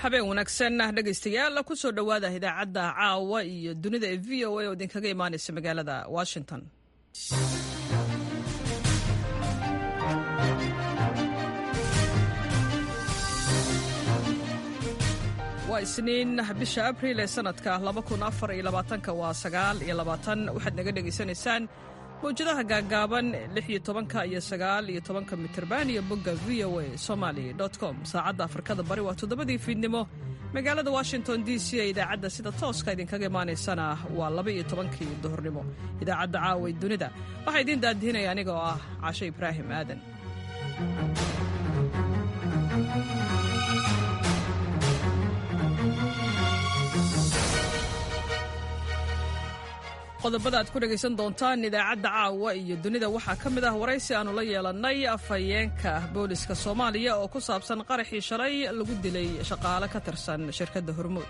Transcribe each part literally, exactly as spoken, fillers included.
Habeen wanaagsan, dhegaystayaal. Kusoo dhowaada idaacadda caawa iyo dunida ee V O A oo idinkaga imaanaysa magaalada Washington. Waa Isniin, bisha Abriil ee sanadka waa sagaal iyo labaatan. Waxaad naga dhegaysanaysaan mawjadaha gaaggaaban lix iyo tobanka iyo sagaal iyo tobanka mitirban iyo bogga V O A Somali com. Saacadda Afrikada Bari waa toddobadii fiidnimo. Magaalada Washington D C ee idaacadda sida tooska idinkaga imaanaysana waa laba iyo tobankii duhurnimo. Idaacadda caawa dunida waxaa idiin daadihinaya aniga oo ah Caashe Ibraahim Aadan. Qodobada aad ku dhegaysan doontaan idaacadda caawa iyo dunida waxaa ka mid ah waraysi aannu la yeelannay afhayeenka booliska Soomaaliya oo ku saabsan qaraxii shalay lagu dilay shaqaale ka tirsan shirkadda Hormuud.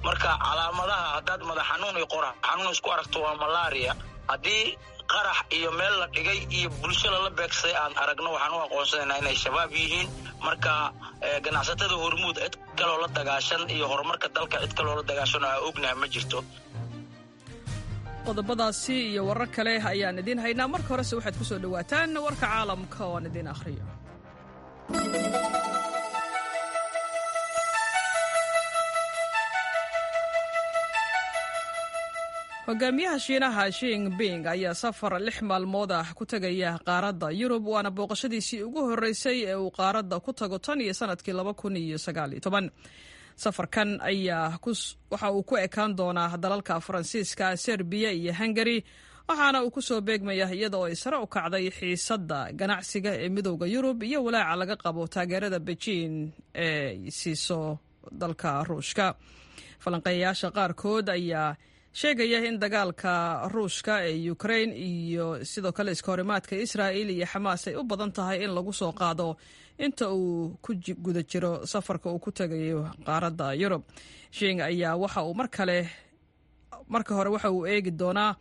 Marka calaamadaha, haddaad madax xanuun iyo qorax xanuun isku aragto, waa malaria. Haddii qarax iyo meel la dhigay iyo bulsho lala beegsaday aan aragno, waxaan u aqoonsanaynaa inay Shabaab yihiin. Marka ganacsatada Hormuud cid kaloo la dagaashan iyo horumarka dalka cid kaloo la dagaashan oo aa ognaha ma jirto. Qodobadaasi iyo warar kale ayaan idiin haynaa. Marka horese waxaad ku soo dhowaataan warka caalamka oo aan idiin akhriyo. Hogaamiyaha Shiinaha Xi Jinping ayaa safar lix maalmood ah ku tegaya qaaradda Yurub, waana booqashadiisii ugu horreysay ee uu qaaradda ku tago tan iyo sanadkii laba kun iyo sagaal iyo toban. Safarkan ayaa waxa uu ku ekaan doonaa dalalka Faransiiska, Serbiya iyo Hungari, waxaana uu ku soo beegmaya iyada oo ay sare u kacday xiisadda ganacsiga ee Midowda Yurub iyo walaaca laga qabo taageerada Beijing ee siiso dalka Ruushka. Falanqeeyayaasha qaarkood ayaa sheegaya in dagaalka Ruushka ee Ukraine iyo sidoo kale iskahorimaadka Israa'il iyo Xamaas ay u badan tahay in lagu soo qaado inta uu ku guda jiro safarka uu ku tegayo qaaradda Yurub. Xi ayaa waxa uu mar kale marka hore waxa uu eegi doonaa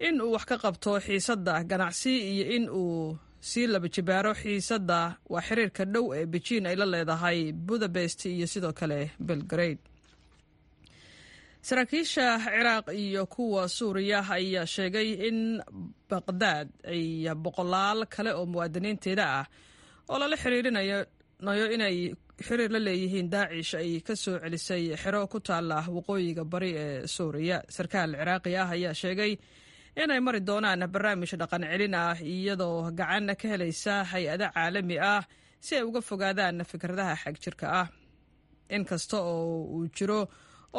in uu wax ka qabto xiisadda ganacsi iyo in uu sii laba jibaaro xiisadda waa xiriirka dhow ee Beijing ay la leedahay Budapest iyo sidoo kale Belgrade. Saraakiisha Ciraaq iyo kuwa Suuriya ayaa sheegay in Baqdaad ay boqolaal kale oo muwaadiniinteeda ah oo lala xiriirinayo inay xiriir la leeyihiin Daacish ay ka soo celisay xero ku taala waqooyiga bari ee Suuriya. Sarkaal Ciraaqi ah ayaa sheegay inay mari doonaan barnaamij dhaqan celin ah, iyadoo gacan ka helaysa hay'ado caalami ah, si ay uga fogaadaan fikradaha xagjirka ah. Inkasta oo uu jiro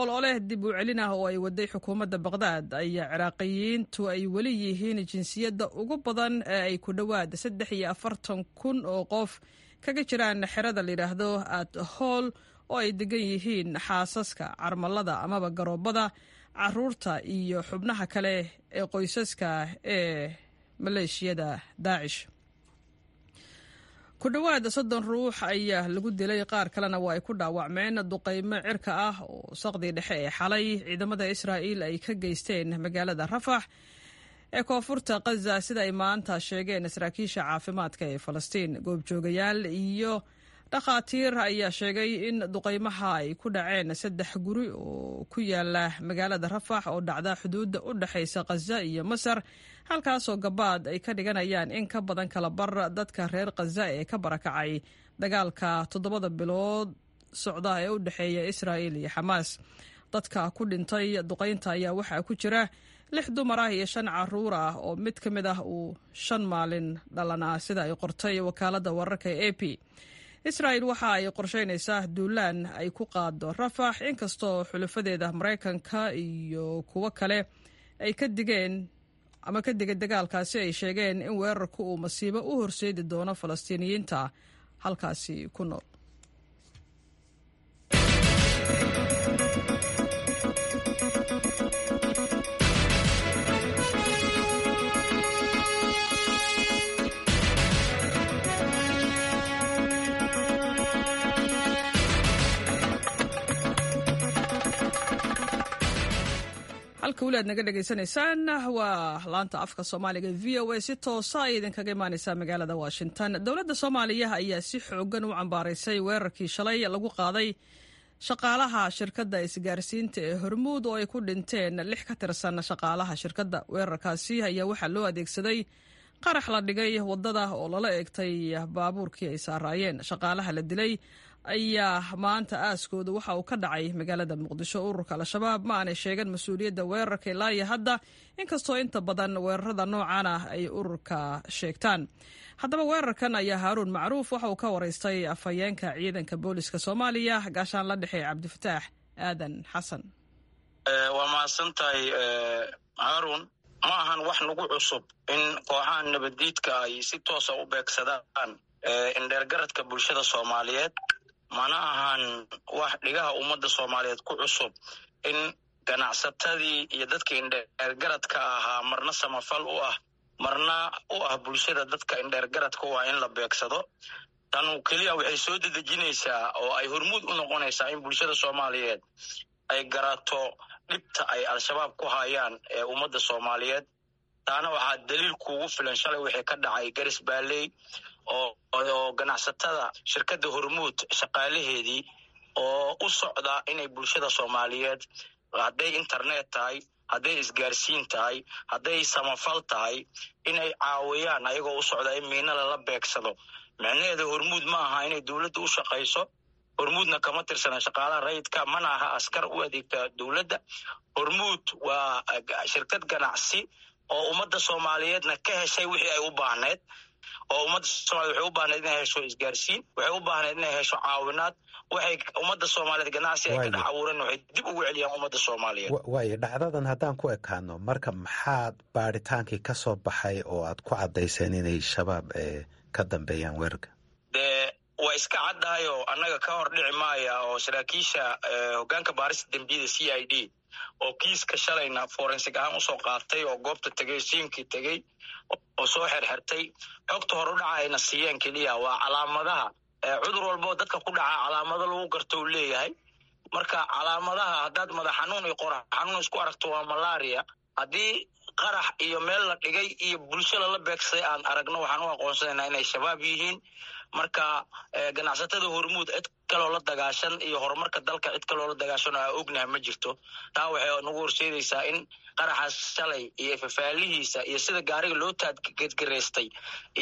ololeh dib u celin ah oo ay waday xukuumadda Baqdaad, ayaa Ciraaqiyiintu ay weli yihiin jinsiyadda ugu badan ee ay ku dhowaad saddex iyo afartan kun oo qof kaga jiraan xerada la yidhaahdo At Hool, oo ay degan yihiin xaasaska, carmalada amaba garoobada, caruurta iyo xubnaha kale ee qoysaska ee maleeshiyada Daacish. Ku dhowaad soddon ruux ayaa lagu dilay, qaar kalena waa ay ku dhaawacmeen duqaymo cirka ah oo saqdii dhexe ee xalay ciidamada Israa'iil ay ka geysteen magaalada Rafax ee koonfurta Qaza, sida ay maanta sheegeen saraakiisha caafimaadka ee Falastiin. Goobjoogayaal iyo dhakhaatiir ayaa sheegay in duqaymaha ay ku dhaceen saddex guri oo ku yaala magaalada Rafax oo dhacda xuduudda u dhexaysa Qaza iyo Masar, halkaasoo gabaad ay ka dhiganayaan in ka badan kala bar dadka reer Qaza ee ka barakacay dagaalka toddobada bilood socda ee u dhexeeya Israa'iil iyo Xamaas. Dadka ku dhintay duqaynta ayaa waxaa ku jira lix dumar ah iyo shan caruur ah, oo mid ka mid ah uu shan maalin dhalanaa, sida ay qortay wakaaladda wararka ee A P. Israa'il waxa ay qorsheynaysaa duulaan ay ku qaado Rafax, inkastoo xulafadeeda Maraykanka iyo kuwo kale ay ka digeen ama ka digay dagaalkaasi, ay sheegeen in weerarku uu masiibo u horseedi doono Falastiiniyiinta halkaasi ku nool. Halka weli aad naga dhegaysanaysaan waa laanta afka Soomaaliga V O A, si toosa ay idinkaga imaaneysaa magaalada Washington. Dowladda Soomaaliya ayaa si xoogan u cambaaraysay weerarkii shalay lagu qaaday Shaqaalaha shirkadda isgaarsiinta ee Hormuud oo ay ku dhinteen lix ka tirsan shaqaalaha shirkadda. Weerarkaasi ayaa waxaa loo adeegsaday qarax la dhigay waddada oo lala eegtay baabuurkii ay saaraayeen. Shaqaalaha la dilay ayaa maanta aaskooda waxa uu ka dhacay magaalada Muqdisho. Ururka Al-Shabaab ma aanay sheegan mas-uuliyadda weerarka ilaa iyo hadda, inkastoo inta badan weerarada noocan ah ay ururka sheegtaan. Haddaba weerarkan ayaa Haaruun Macruuf waxa uu ka waraystay afhayeenka ciidanka booliska Soomaaliya, gaashaan la dhexe Cabdifataax Aadan Xasan. Waa mahadsantahay, Haaruun. Ma ahan wax nagu cusub in kooxaha nabaddiidka ay si toosa u beegsadaan indheergaradka bulshada Soomaaliyeed. Mana ahan wax dhigaha ummadda Soomaaliyeed ku cusub in ganacsatadii iyo dadka indheergaradka ahaa, marna samafal u ah, marna u ah bulshada dadka indheergaradka u ah, in la beegsado. Tanu keliya waxay soo dedejinaysaa oo ay hormuud u noqonaysaa in bulshada Soomaaliyeed ay garato dhibta ay Al-Shabaab ku hayaan ee ummadda Soomaaliyeed. Taana waxaa daliil kuugu filan shalay wixii ka dhacay Garis Baaley oo oo ganacsatada shirkadda Hormuud shaqaalaheedii oo u socda inay bulshada Soomaaliyeed, hadday internet tahay, hadday isgaarsiin tahay, hadday samafal tahay, inay caawiyaan ayagoo u socda in miina lala beegsado. Micnaheeda Hormuud ma aha inay dowladda u shaqayso. Hormuudna kama tirsana shaqaalaha rayidka, mana aha askar u adeegta dowladda. Hormuud waa shirkad ganacsi oo ummadda Soomaaliyeedna ka heshay wixii ay u baahneed, oo ummadda Somaliyed waxay u baahneed inay hesho isgaarsiin, waxay u baahneed inay hesho caawinaad. Waxay ummadda Soomaaliyeed ganacsi ay ka dhex abuureen waxay dib ugu celiyaan ummadda Soomaaliyeed. Waayo, dhacdadan haddaan ku ekaano marka, maxaad baadhitaankii ka soo baxay oo aad ku caddayseen inay Shabaab ka dambeeyaan weerarka? Dee waa iska caddahayo, annaga ka hor dhici maaya oo saraakiisha hoggaanka baarista dembiyada C I D oo kiiska shalayna forensic ahaan usoo qaatay oo goobta tegey, siinkii tegey oo soo xerxertay, xogta hor u dhaca ayna siiyeen keliya waa calaamadaha. Cudur walboo dadka ku dhaca calaamado lagu garto uu leeyahay. Marka calaamadaha haddaad madax xanuun iyo qorax xanuun isku aragto, waa malaria. Haddii qarax iyo meel la dhigay iyo bulsho lala beegsaday aan aragno, waxaan u aqoonsanaynaa inay Shabaab yihiin. Marka ganacsatada Hormuud cid kaloo la dagaashan iyo horumarka dalka cid kaloo la dagaashan oo aa ognaha ma jirto. Taa waxay nagu horseedaysaa in qaraxaas shalay iyo fafaalihiisa iyo sida gaariga loo taadgedgaraystay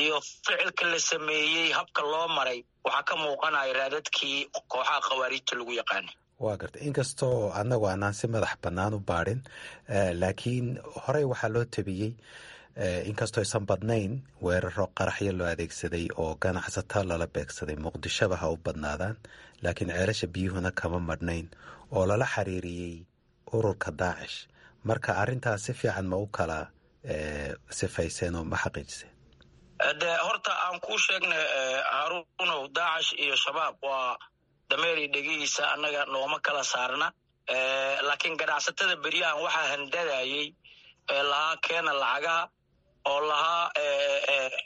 iyo ficilka la sameeyey, habka loo maray, waxaa ka muuqanaya raadadkii kooxaha khawaariijta lagu yaqaanay. Waa gartay. Inkastoo annagu aanaan si madax bannaan u baadhin, laakiin horey waxaa loo tabiyey, inkastoo aysan badnayn, weeraro qaraxyo loo adeegsaday oo ganacsato lala beegsaday, Muqdishoba ha u badnaadaan, laakiin Ceelasha Biyuhuna kama madhnayn, oo lala xiriiriyey ururka Daacish. Marka arrintaas si fiican ma u kala sifayseen oo ma xaqiijiseen? De horta aan kuu sheegnay, Haruunow, Daacish iyo Shabaab waa dameeri dhegihiisa, annaga nooma kala saarna. Laakiin ganacsatada beryahan waxaa handadayey ee lahaa keena lacagaha, oo lahaa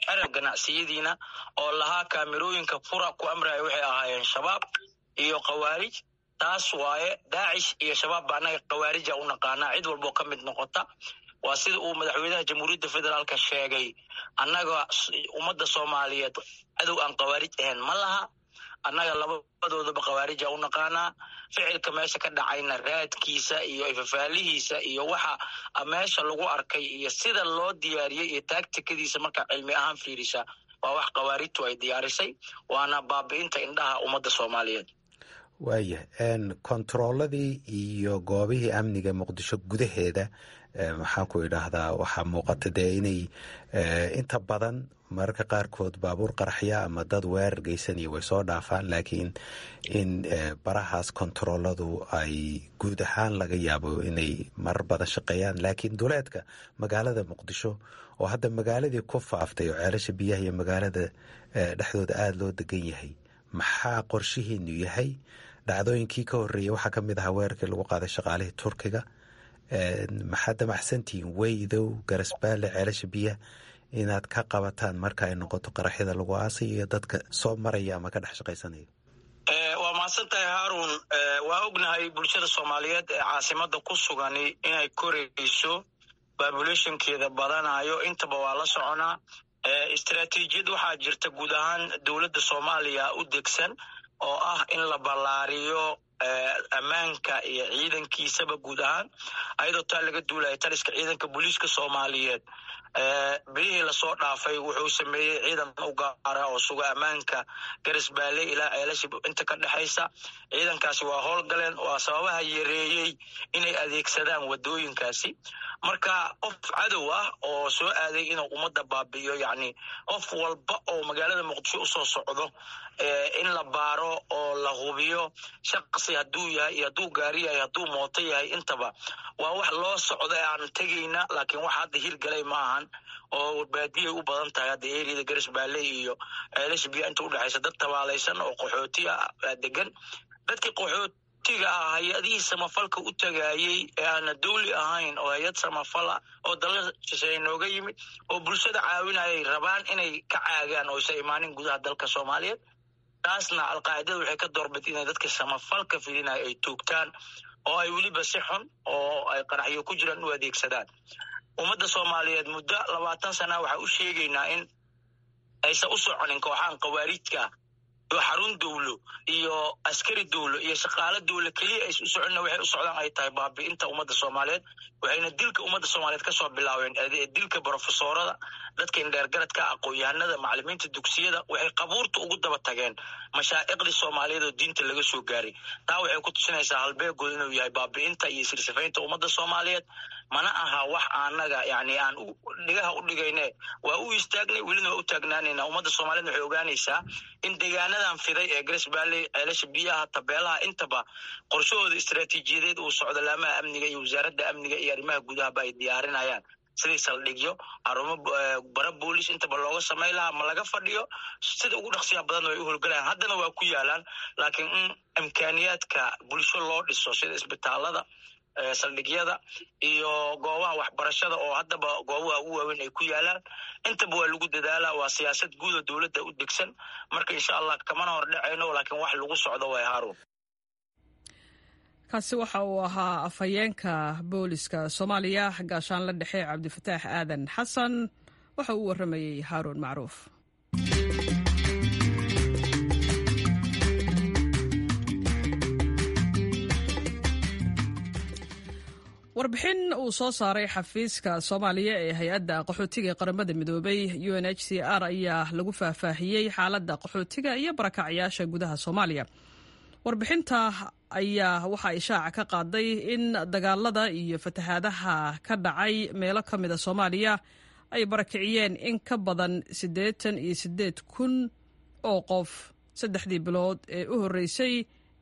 xera ganacsiyadiina, oo lahaa kaamirooyinka fura ku amraya, waxay ahaayeen Shabaab iyo khawaarij. Taas waaye Daacish iyo Shabaab ba annaga khawaarija u naqaanaa cid walboo ka mid noqota. Waa sida uu madaxweynaha Jamhuuriyadda Federaalka sheegay, annaga ummadda Soomaaliyeed cadow aan khawaarij ahayn ma laha. Annaga labadoodaba khawaarija u naqaanaa. Ficilka meesha ka dhacayna raadkiisa iyo ifafaalihiisa iyo waxa meesha lagu arkay iyo sida loo diyaariyey iyo taagtikadiisa markaa cilmi ahaan fiirisa, waa wax khawaarijtu ay diyaarisay, waana baabi'inta indhaha ummadda Soomaaliyeed. Waayahay, kontarooladii iyo goobihii amniga Muqdisho gudaheeda, maxaan ku idhaahdaa, waxaa muuqata dee inay inta badan mararka qaarkood baabuur qaraxya ama dad weerar geysanaya way soo dhaafaan, laakiin in barahaas kontarooladu ay guud ahaan laga yaabo inay marar badan shaqeeyaan, laakiin duleedka magaalada Muqdisho oo hadda magaaladii ku faaftay oo Ceelasha Biyaha iyo magaalada dhexdooda aada loo degan yahay, maxaa qorshihiinu yahay? Dhacdooyinkii ka horreeyey waxaa ka mid ahaa weerarkii lagu qaaday shaqaalihii Turkiga. Maxaad damacsantihiin Weydow, Garasbaale, Ceelasha Biyaha inaad ka qabataan marka ay noqoto qaraxyada lagu aasay iyo dadka soo maraya ama ka dhex shaqaysanaya? Waa mahadsan tahay, Haarun. Waa ognahay bulshada Soomaaliyeed ee caasimada ku sugani inay korayso, populationkeeda badanayo, intaba waa la soconaa. Istaraatiijiyad waxaa jirta guud ahaan dowladda Soomaaliya u degsan oo ah in la ballaariyo Ammaanka iyo ciidankiisaba guud ahaan. Ayadoo taa laga duulaya, taliska ciidanka booliiska Soomaaliyeed bilihii lasoo dhaafay wuxuu sameeyey ciidan u gaara oo suga ammaanka Garisbaale ilaa Ceelasha inta ka dhexaysa. Ciidankaasi waa howlgaleen, waa sababaha yareeyey inay adeegsadaan wadooyinkaasi. Marka qof cadow ah oo soo aaday inuu ummadda baabi'iyo, yacni qof walba oo magaalada Muqdisho usoo socdo in la baaro oo la hubiyo shaqsi hadduu yahay iyo hadduu gaari yahay, hadduu mooto yahay, intaba waa wax loo socdo ee aan tegayna. Laakiin wax hadda hirgalay ma ahan oo baadiyay u badan tahay. Hadda eriyada Garisbaale iyo Ceelasha Biya inta udhexaysa dad tabaalaysan oo qaxooti ah degan. Dadkii qaxootiga ah hay-adihii samafalka u tagaayey ee aana dawli ahayn oo hay-ad samafal ah oo dalal shisheeye nooga yimid oo bulshada caawinayay rabaan inay ka caagaan oo isa imaanin gudaha dalka Soomaaliyeed. Taasna Alqaacidada waxay ka doorbid inay dadka samafalka fidinaya ay toogtaan oo ay weliba si xun oo ay qaraxyo ku jiraan u adeegsadaan. Ummadda Soomaaliyeed muddo labaatan sana waxaa u sheegaynaa in aysan u soconin kooxahan khawaarijka iyo xarun dowlo iyo askari dowlo iyo shaqaalo dowlo keliya aysan u soconina. Waxay u socdaan ay tahay baabi'inta ummadda Soomaaliyeed, waxayna dilka ummadda Soomaaliyeed kasoo bilaabeen dilka brofesoorada, dadka indheergaradka, aqoon-yahanada, macalimiinta dugsiyada. Waxay qabuurta ugu daba tageen mashaa'iqdii Soomaaliyeed oo diinta laga soo gaaray. Taa waxay ku tusinaysaa halbeegood inuu yahay baabi'inta iyo sirsifaynta ummadda Soomaaliyeed. Mana aha wax anaga yani aan dhigaha u dhigayne, waa u istaagnay, welina waa u taagnaanayna. Ummadda Soomaaliyed waxay ogaanaysaa in deegaanadan fiday ee Garisbaale, Ceelasha Biyaha, Tabeelaha intaba qorshahooda istaraatiijiyadeed uu socdo, laamaha amniga iyo wasaaradda amniga iyo arrimaha gudahaba ay diyaarinayaan sidii saldhigyo, xarumo bara boolis intaba looga samay lahaa. Ma laga fadhiyo, sida ugu dhaqsiya badan way u howlgalayaan, haddana waa ku yaalaan. Laakiin in imkaaniyaadka bulsho loo dhiso sida isbitaalada, saldhigyada iyo goobaha waxbarashada oo haddaba goobaha ugu waaweyn ay ku yaalaan, intaba waa lagu dadaalaa. Waa siyaasad guud oo dowladda u degsan. Marka insha Allah kamana hor dhacayno, laakiin wax lagu socdo way, Haarun. Kaasi waxa uu ahaa afhayeenka booliska Soomaaliya, gaashaanle dhexe Cabdifataax Aadan Xasan. Waxa uu warramayey Haaruun Macruuf. Warbixin uu soo saaray xafiiska Soomaaliya ee hay-adda qaxootiga ee Qaramada Midoobay U N H C R ayaa lagu faahfaahiyey xaaladda qaxootiga iyo barakacyaasha gudaha Soomaaliya. Warbixinta ayaa waxa ay shaaca ka qaaday in dagaalada iyo fatahaadaha ka dhacay meelo ka mida Soomaaliya ay barakiciyeen in ka badan siddeetan iyo siddeed kun oo qof saddexdii bilood ee u horreysay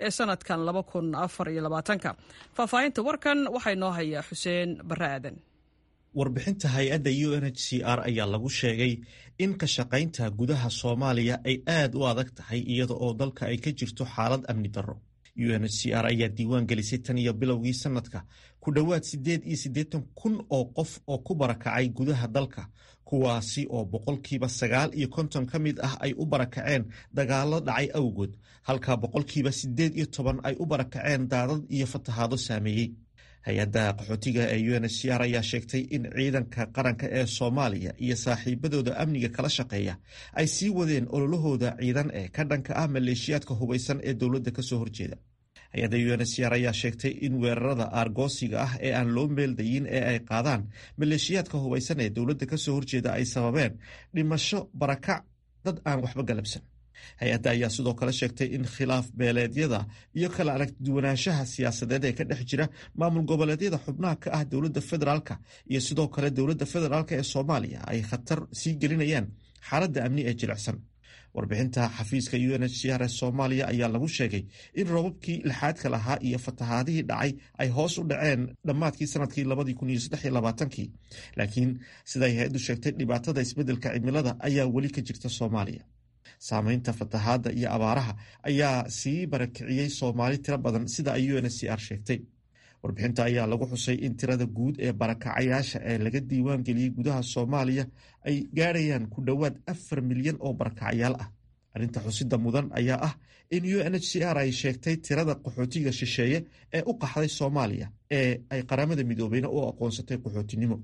ee sanadkan laba kun afar iyo labaatanka. Faahfaahinta warkan waxaa inoo hayaa Xuseen Barre Aadan. Warbixinta hay-adda U N H C R ayaa lagu sheegay in ka shaqaynta gudaha Soomaaliya ay aad u adag tahay, iyada oo dalka ay ka jirto xaalad amni darro. U N H C R ayaa diiwaan gelisay tan iyo bilowgii sanadka ku dhowaad siddeed iyo siddeetan kun oo qof oo ku barakacay gudaha dalka, kuwaasi oo boqolkiiba sagaal iyo konton ka mid ah ay u barakaceen dagaallo dhacay awgood, halka boqolkiiba siddeed iyo toban ay u barakaceen daadad iyo fatahaado saameeyey. Hay-adda qaxootiga ee U N H C R ayaa sheegtay in ciidanka qaranka ee Soomaaliya iyo saaxiibadooda amniga kala shaqeeya ay sii wadeen ololahooda ciidan ee ka dhanka ah maleeshiyaadka hubaysan ee dowladda kasoo horjeeda. Hay-adda U N H C R ayaa sheegtay in weerarada aargoosiga ah ee aan loo meeldayin ee ay qaadaan maleeshiyaadka hubaysan ee dowladda kasoo horjeeda ay sababeen dhimasho, barakac dad aan waxba galabsan. Hay-adda ayaa sidoo kale sheegtay in khilaaf beeleedyada iyo kala aragduwanaanshaha siyaasadeed ee ka dhex jira maamul goboleedyada xubnaha ka ah dowladda federaalka iyo sidoo kale dowladda federaalka ee Soomaaliya ay khatar sii gelinayaan xaaladda amni ee jilicsan. Warbixinta xafiiska U N H C R ee Soomaaliya ayaa lagu sheegay in roobabkii lixaadka lahaa iyo fatahaadihii dhacay ay hoos u dhaceen dhammaadkii sanadkii labadii kun iyo saddex iyo labaatankii, laakiin siday hay-addu sheegtay, dhibaatada isbeddelka cimilada ayaa weli ka jirta Soomaaliya. Saameynta fatahaadda iyo abaaraha ayaa sii barakiciyey Soomaali tiro badan, sida ay U N H C R sheegtay. Warbixinta ayaa lagu xusay in tirada guud ee barakacayaasha ee laga diiwaan geliyey gudaha Soomaaliya ay gaadhayaan ku dhowaad afar milyan oo barakacayaal ah. Arrinta xusida mudan ayaa ah in U N H C R ay sheegtay tirada qaxootiga shisheeye ee u qaxday Soomaaliya ee ay Qaramada Midoobeyna u aqoonsatay qaxootinimo.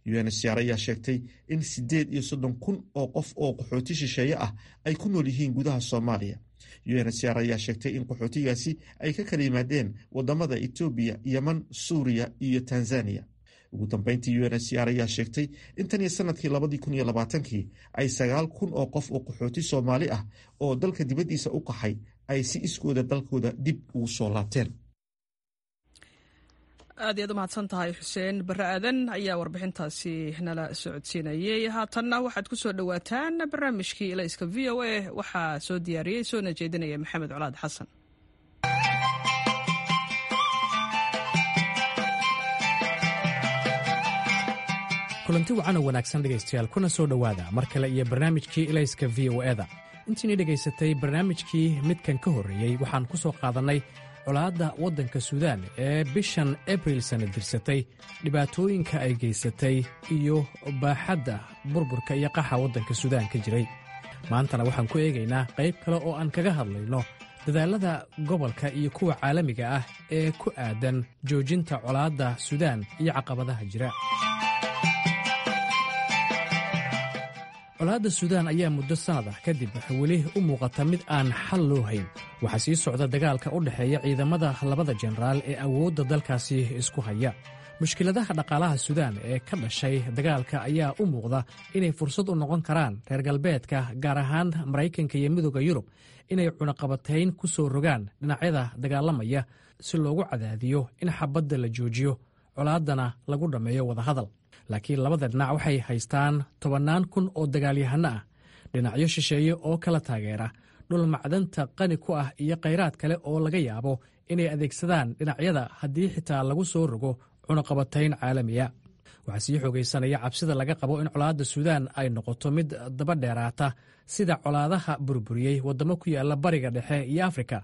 U N H C R ayaa sheegtay in siddeed iyo soddon kun oo qof oo qaxooti shisheeye ah ay ku nool yihiin gudaha Soomaaliya. U N H C R ayaa sheegtay in qaxootigaasi ay ka kala yimaadeen wadamada Etoobiya, Yeman, Suuriya iyo Tanzaniya. Ugu dambeyntii, U N H C R ayaa sheegtay in tan iyo sanadkii labadii kun iyo labaatankii ay sagaal kun oo qof oo qaxooti Soomaali ah oo dalka dibaddiisa u qaxay ay si iskooda dalkooda dib ugu soo laabteen. Aad iyaad u mahadsan tahay, Xuseen Barre Aadan ayaa warbixintaasi nala socodsiinayey. Haatanna waxaad ku soo dhowaataan barnaamijkii Ilayska V O A. Waxaa soo diyaariyey soona jeedinaya Maxamed Colaad Xasan. Kulanti wacan oo wanaagsan, dhegaystayaal, kuna soo dhowaada mar kale iyo barnaamijkii Ilayska V O E da. Intiinii dhegaysatay barnaamijkii midkan ka horreeyey, waxaan ku soo qaadannay colaadda waddanka Suudaan ee bishan Abril sana dirsatay, dhibaatooyinka ay geysatay iyo baaxadda burburka iyo qaxa waddanka Suudaan ka jiray. Maantana waxaan ku eegaynaa qayb kale oo aan kaga hadlayno dadaallada gobolka iyo kuwa caalamiga ah ee ku aadan joojinta colaadda Suudaan iyo caqabadaha jira. Colaadda Suudaan ayaa muddo sannad ah kadib weli u muuqata mid aan xal loo hayn. Waxaa sii socda dagaalka u dhexeeya ciidamada labada jenaraal ee awoodda dalkaasi isku haya. Mushkiladaha dhaqaalaha Suudaan ee ka dhashay dagaalka ayaa u muuqda inay fursad u noqon karaan reer galbeedka, gaar ahaan Maraykanka iyo Midooda Yurub, inay cunaqabatayn ku soo rogaan dhinacyada dagaalamaya si loogu cadaadiyo in xabadda la joojiyo, colaaddana lagu dhammeeyo wadahadal. Laakiin labada dhinac waxay haystaan tobannaan kun oo dagaalyahanno ah, dhinacyo shisheeye oo kala taageera, dhul macdanta qani ku ah iyo khayraad kale oo laga yaabo inay adeegsadaan dhinacyada haddii xitaa lagu soo rogo cunaqabatayn caalamiya. Waxaa sii xoogaysanaya cabsida laga qabo in colaadda Suudaan ay noqoto mid daba dheeraata, sida colaadaha burburiyey waddamo ku yaalla Bariga Dhexe iyo Afrika,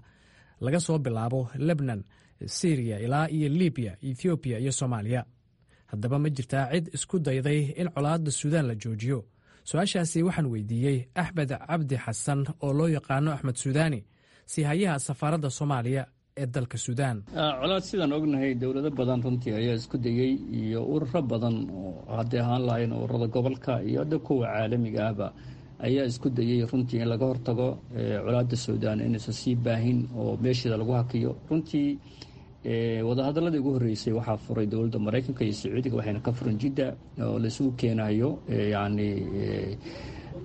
laga soo bilaabo Lebnan, Siriya ilaa iyo Libiya, Ethoobiya iyo Soomaaliya. Haddaba, ma jirtaa cid isku dayday in colaadda Suudaan la joojiyo? Su-aashaasi waxaan weydiiyey Axmed Cabdi Xasan oo loo yaqaano Axmed Suudaani, siihayaha safaaradda Soomaaliya ee dalka Suudaan. Colaad, sidaan ognahay, dowlado badan runtii ayaa isku dayey iyo ururo badan oo hadday ahaan lahayn ururada gobolka iyo hadda kuwa caalamiga ahba ayaa isku dayey runtii in laga hortago colaadda Suudaan inaysan sii baahin oo meesheeda lagu hakiyo. Runtii wadahadaladii ugu horreysay waxaa furay dowladda Maraykanka iyo Sacuudiga, waxayna ka furan Jidda oo laisugu keenayo yacni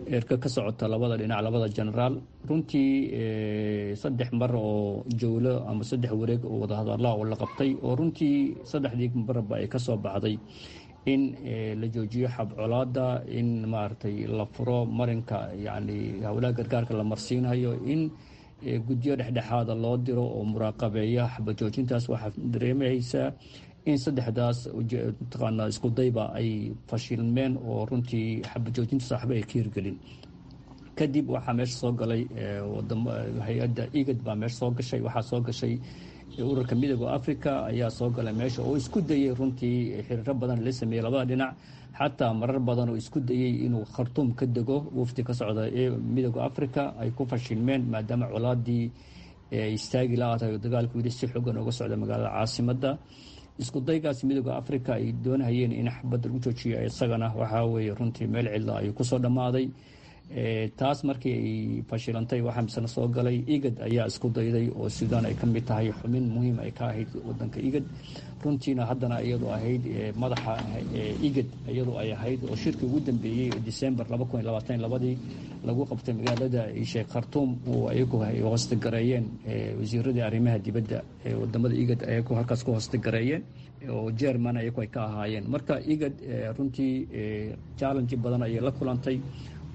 erka ka socota labada dhinac, labada genaraal. Runtii saddex mar oo jawlo ama saddex wareeg oo wadahadallaa oo la qabtay, oo runtii saddexdii marba ay ka soo baxday in la joojiyo xabcolaada, in maaragtay la furo marinka yacni howlaha gargaarka la marsiinayo, in guddiyo dhexdhexaada loo diro oo muraaqabeeya xabajoojintaas. Waxaa dareemaysaa in saddexdaas mataqaanaa isku dayba ay fashilmeen oo runtii xabajoojintaas waxba ay ka hirgelin. Kadib waxaa meesha soo galay wadamo, hay-adda IGAD baa meesha soo gashay, waxaa soo gashay ururka Midooda Africa ayaa soo galay meesha oo isku dayey runtii xiriiro badan la sameeyey labada dhinac, xataa marar badan oo isku dayey inuu Khartuum ka dego wafdi ka socda ee Midooda Africa ay ku fashilmeen, maadaama colaadii istaagi la-aatahay oo dagaalku weli si xoogan uga socda magaalada caasimadda. Isku daygaas Midooda Africa ay doonahayeen in xabadda lagu joojiyo isagana waxaa weeye runtii meel cidla ayuu kusoo dhammaaday. Taas markii ay fashilantay, waxaa misena soo galay IGAD ayaa isku dayday, oo Suudaan ay ka mid tahay, xubin muhiim ay ka ahayd wadanka IGAD runtiina, haddana iyadoo ahayd madaxa IGAD iyadoo ay ahayd, oo shirkii ugu dambeeyey December laba kun iyo labaatan labadii lagu qabtay magaalada sheekh Khartuum oo ayagu ay hoostegareeyeen wasiiradii arrimaha dibadda ee wadamada IGAD, ayagu halkaas ku hoostegareeyeen oo German ayagu ay ka ahaayeen. Marka IGAD runtii challenge badan ayay la kulantay,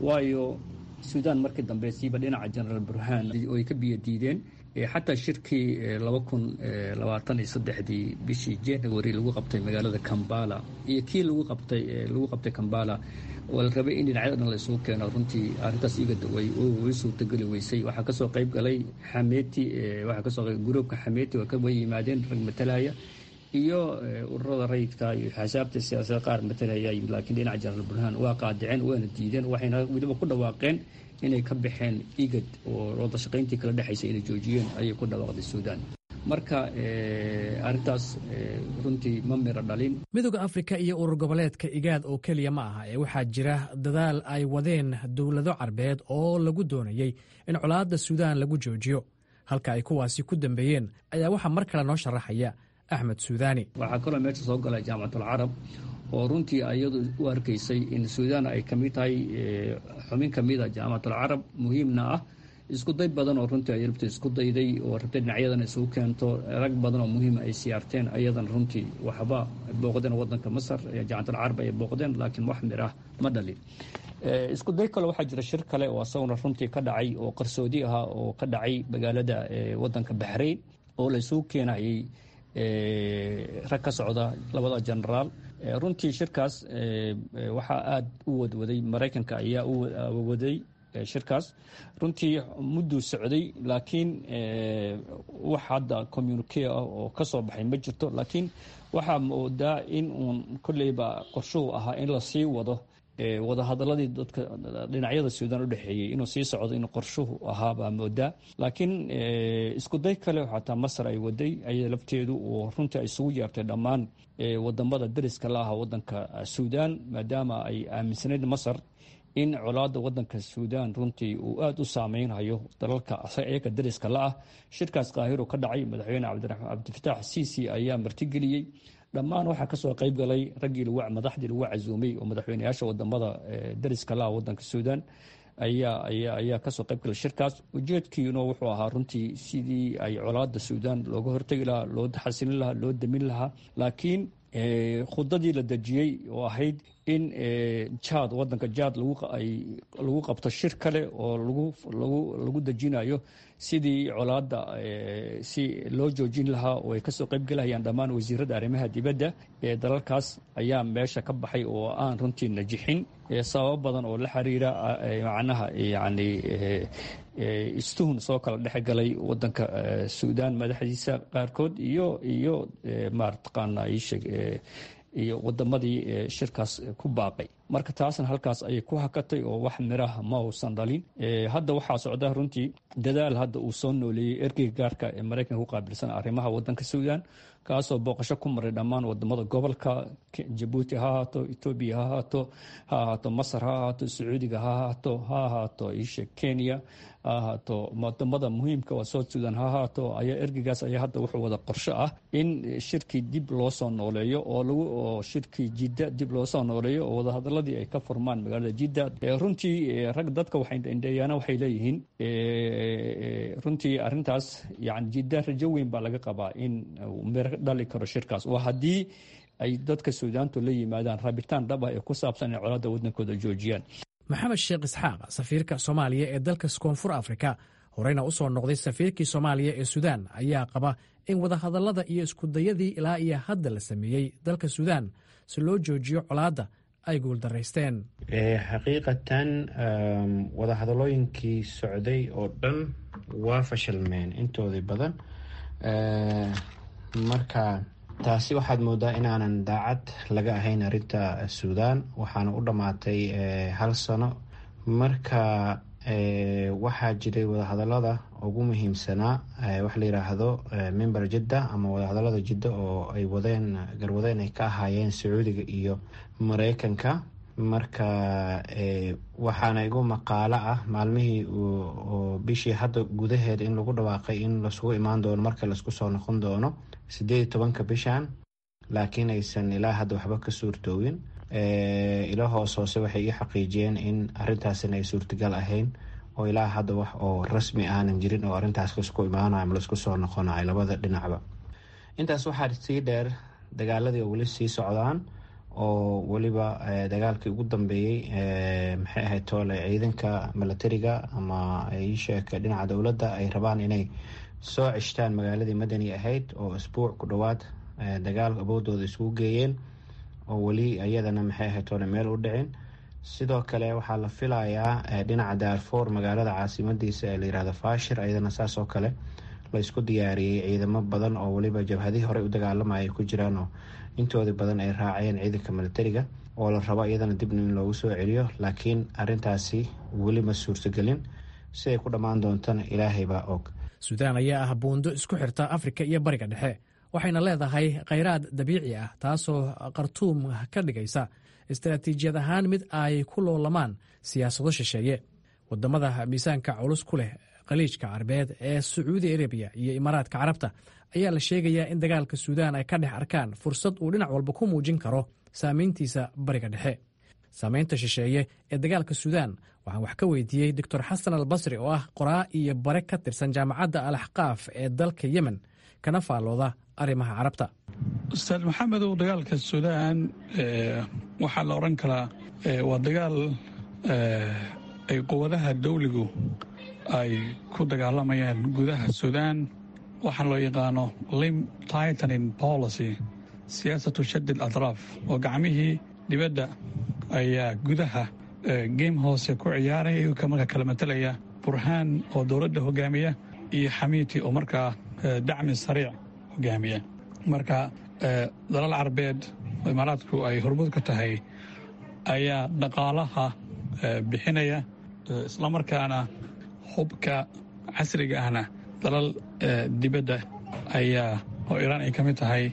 waayo Suudaan markii dambe siiba dhinaca Genaraal Burhaan oo ay ka biyo diideen. Xataa shirkii laba kun labaatan iyo saddexdii bishii January lagu qabtay magaalada Kambala iyo kii lagu qabtay lagu qabtay Kambala oo la rabay in dhinacyada dhan la isugu keeno, runtii arrintaas IGAD way way suurtageli weysay. Waxaa kasoo qayb galay Xameeti, waxaa kasoo qayb gruubka Xameeti waa ka way yimaadeen rag matalaya iyo ururada rayidka iyo xisaabta siyaasadda qaar matalaya, laakiin dhinaca Jenaraal Burhaan waa qaadiceen waana diideen, waxayna weliba ku dhawaaqeen inay ka baxeen IGAD oo wada shaqayntii kala dhexaysa inay joojiyeen ayay ku dhawaaqday Suudaan. Marka arrintaas runtii ma miro dhalin. Midooda Afrika iyo urur goboleedka Igaad oo keliya ma aha ee waxaa jira dadaal ay wadeen dowlado Carbeed oo lagu doonayey in colaadda Suudaan lagu joojiyo. Halka ay kuwaasi ku dambeeyeen ayaa waxaa mar kale noo sharaxaya Axmed Suudaani. Waxaa kaloo meesha soo galay Jaamacatul Carab, oo runtii iyadu u arkaysay in Suudaan ay ka mid tahay xubin ka mid a Jaamacatul Carab, muhiimna ah. Isku day badan oo runtii ay rabtay isku dayday oo rabtay dhinacyadan isugu keento, rag badan oo muhiima ay siyaarteen ayadan, runtii waxba booqdeen wadanka Masar, Jaamacatul Carab ay booqdeen, laakiin wax mir ah ma dhalin. Isku day kale waxaa jira, shir kale oo asaguna runtii ka dhacay oo qarsoodi ahaa oo ka dhacay magaalada wadanka Baxrayn, oo la isugu keenayay rag ka socda labada genaraal. Runtii shirkaas waxaa aada u wadwaday Maraykanka ayaa u waday shirkaas. Runtii mudduu socday, laakiin wax hadda communique ah oo ka soo baxay ma jirto. Laakiin waxaa moodaa in uun kolleyba qorshuhu ahaa in lasii wado wadahadaladii dadka dhinacyada Suudaan u dhexeeyey, inuu sii socdo inuu qorshuhu ahaa baa moodaa. Laakiin isku day kale xataa Masar ay waday ayada lafteedu, oo runtii ay isugu yeertay dhammaan wadamada dariska la aha wadanka Suudaan, maadaama ay aaminsanayd Masar in colaadda wadanka Suudaan runtii uu aada u saameynhayo dalalka iyaga dariska la ah. Shirkaas Qaahiro ka dhacay, madaxweyne Cabdifitaax Siisi ayaa martigeliyey. Dhammaan waxaa kasoo qayb galay raggii madaxdii lagu casuumay oo madaxweyneyaasha wadamada dariska la ah wadanka Suudaan ayaa ayaa ayaa kasoo qayb galay shirkaas. Ujeedkiina wuxuu ahaa runtii sidii ay colaadda Suudaan looga hortegi lahaa, loo xasilin lahaa, loo damin lahaa. Laakiin khudadii la dejiyey oo ahayd in Jaad, wadanka Jaad lagu qabto shir kale oo lagu lagu dejinayo sidii colaadda si loo joojin lahaa, oo ay kasoo qayb galahayaan dhammaan wasiirada arrimaha dibadda ee dalalkaas, ayaa meesha ka baxay oo aan runtii najixin, sababo badan oo la xiriira macnaha yacni istuhun soo kala dhex galay wadanka Suudaan madaxdiisa qaarkood iyo iyo maartaqaana iisheeg iyo wadamadii shirkaas ku baaqay. Marka taasna halkaas ayay ku hakatay oo wax miraha ma uusan dhalin. Hadda waxaa socda runtii dadaal hadda uu soo nooleeyey ergeyga gaarka ee Maraykanka ku qaabilsan arrimaha wadanka Suudaan, kaasoo booqasho ku maray dhammaan wadamada gobolka: Jabuuti ha ahaato, Etoobiya ha ahaato, ha ahaato Masar ha ahaato, Sacuudiga ha ahaato, ha ahaato isha Kenya ha ahaato, wadamada muhiimka waa South Sudan ha ahaato. Ayaa ergeygaas ayaa hadda wuxuu wada qorsho ah in shirkii dib loo soo nooleeyo, oo lagu oo shirkii Jidda dib loo soo nooleeyo, oo wadahadaladii ay ka furmaan magaalada Jidda. Runtii rag dadka waxay indheeyaana waxay leeyihiin runtii arrintaas yani Jidda rajo weyn baa laga qabaa in miro dhali karo shirkaas, oo haddii ay dadka Suudaantu la yimaadaan rabitaan dhab ah ee ku saabsan inay colaadda waddankooda joojiyaan. Maxamed Sheekh Isxaaq, safiirka Soomaaliya ee dalka Koonfur Afrika, horeyna u soo noqday safiirkii Soomaaliya ee Suudaan, ayaa qaba in wadahadallada iyo iskudayadii ilaa iyo hadda la sameeyey dalka Suudaan si loo joojiyo colaadda ay guuldaraysteen. Xaqiiqatan wadahadalooyinkii socday oo dhan waa fashilmeen intoodii badan. Marka taasi waxaad moodaa inaanan daacad laga ahayn arrinta Suudaan, waxaana u dhammaatay hal sano. Marka waxaa jiray wadahadalada ugu muhiimsanaa waxa la yiraahdo Mimbar Jidda ama wadahadalada Jidda, oo ay wadeen garwadeen ay ka ahaayeen Sacuudiga iyo Mareykanka. Marka waxaana igu maqaalo ah maalmihii oo bishii hadda gudaheed in lagu dhawaaqay in lasugu imaan doono marka laisku soo noqon doono sideed iyo tobanka bishan, laakiin aysan ilaa hadda waxba ka suurtoowin. Ilo hoos hoose waxay ii xaqiijiyeen in arrintaasina ay suurtagal ahayn, oo ilaa hadda wax oo rasmi aanan jirin oo arrintaas laisku imaanayo ama laisku soo noqonayo labada dhinacba. Intaas waxaa sii dheer dagaaladii oo weli sii socdaan, oo weliba dagaalkii ugu dambeeyey maxay ahayd toole ciidanka milatariga ama iisheeg dhinaca dowladda ay rabaan inay soo ceshtaan magaaladii Madani ahayd, oo isbuuc ku dhowaad dagaal awoodooda isugu geeyeen, oo weli iyadana maxay ahayd toole meel u dhicin. Sidoo kale waxaa la filayaa dhinaca Daarfoor, magaalada caasimadiisa ee la yirahdo Faashir, iyadana saas oo kale la isku diyaariyey ciidamo badan, oo weliba jabhadihii horey u dagaalamaya ay ku jiraan, oo intoodii badan ay raaceen ciidanka milatariga, oo la rabo iyadana dibna in loogu soo celiyo. Laakiin arrintaasi weli ma suurtagelin, siday ku dhammaan doontana Ilaahay baa og. Suudaan ayaa ah buundo isku xirta Afrika iyo Bariga Dhexe, waxayna leedahay khayraad dabiici ah, taasoo Khartuum ka dhigaysa istaraatiijiyad ahaan mid ay ku loolamaan siyaasado shisheeye. Wadamada miisaanka culus ku leh Khaliijka Carbeed ee Sacuudi Arabiya iyo Imaaraadka Carabta ayaa la sheegayaa in dagaalka Suudaan ay ka dhex arkaan fursad uu dhinac walba ku muujin karo saameyntiisa Bariga Dhexe. Saameynta shisheeye ee dagaalka Suudaan waxaan wax ka weydiiyey Doctor Xasan Albasri, oo ah qoraa iyo bare ka tirsan Jaamacadda Al Axqaaf ee dalka Yemen, kana faallooda arrimaha Carabta. Ustaad Maxamedow, dagaalka Suudaan waxaa la odhan karaa waa dagaal ay quwadaha dawligu ay ku dagaalamayaan gudaha Suudaan. Waxaa loo yaqaano limb tightening policy, siyaasatu shadid atraaf, oo gacmihii dibadda ayaa gudaha game hoose ku ciyaaraya, iyagoo marka kala matelaya Burhaan oo dowladda hogaamiya iyo Xamiiti oo markaa Dacmi Sariic hogaamiya. Marka dalal Carbeed oo Imaaraadku ay hormuud ka tahay ayaa dhaqaalaha bixinaya, islamarkaana hubka casriga ahna dalal dibadda ayaa, oo Iiraan ay ka mid tahay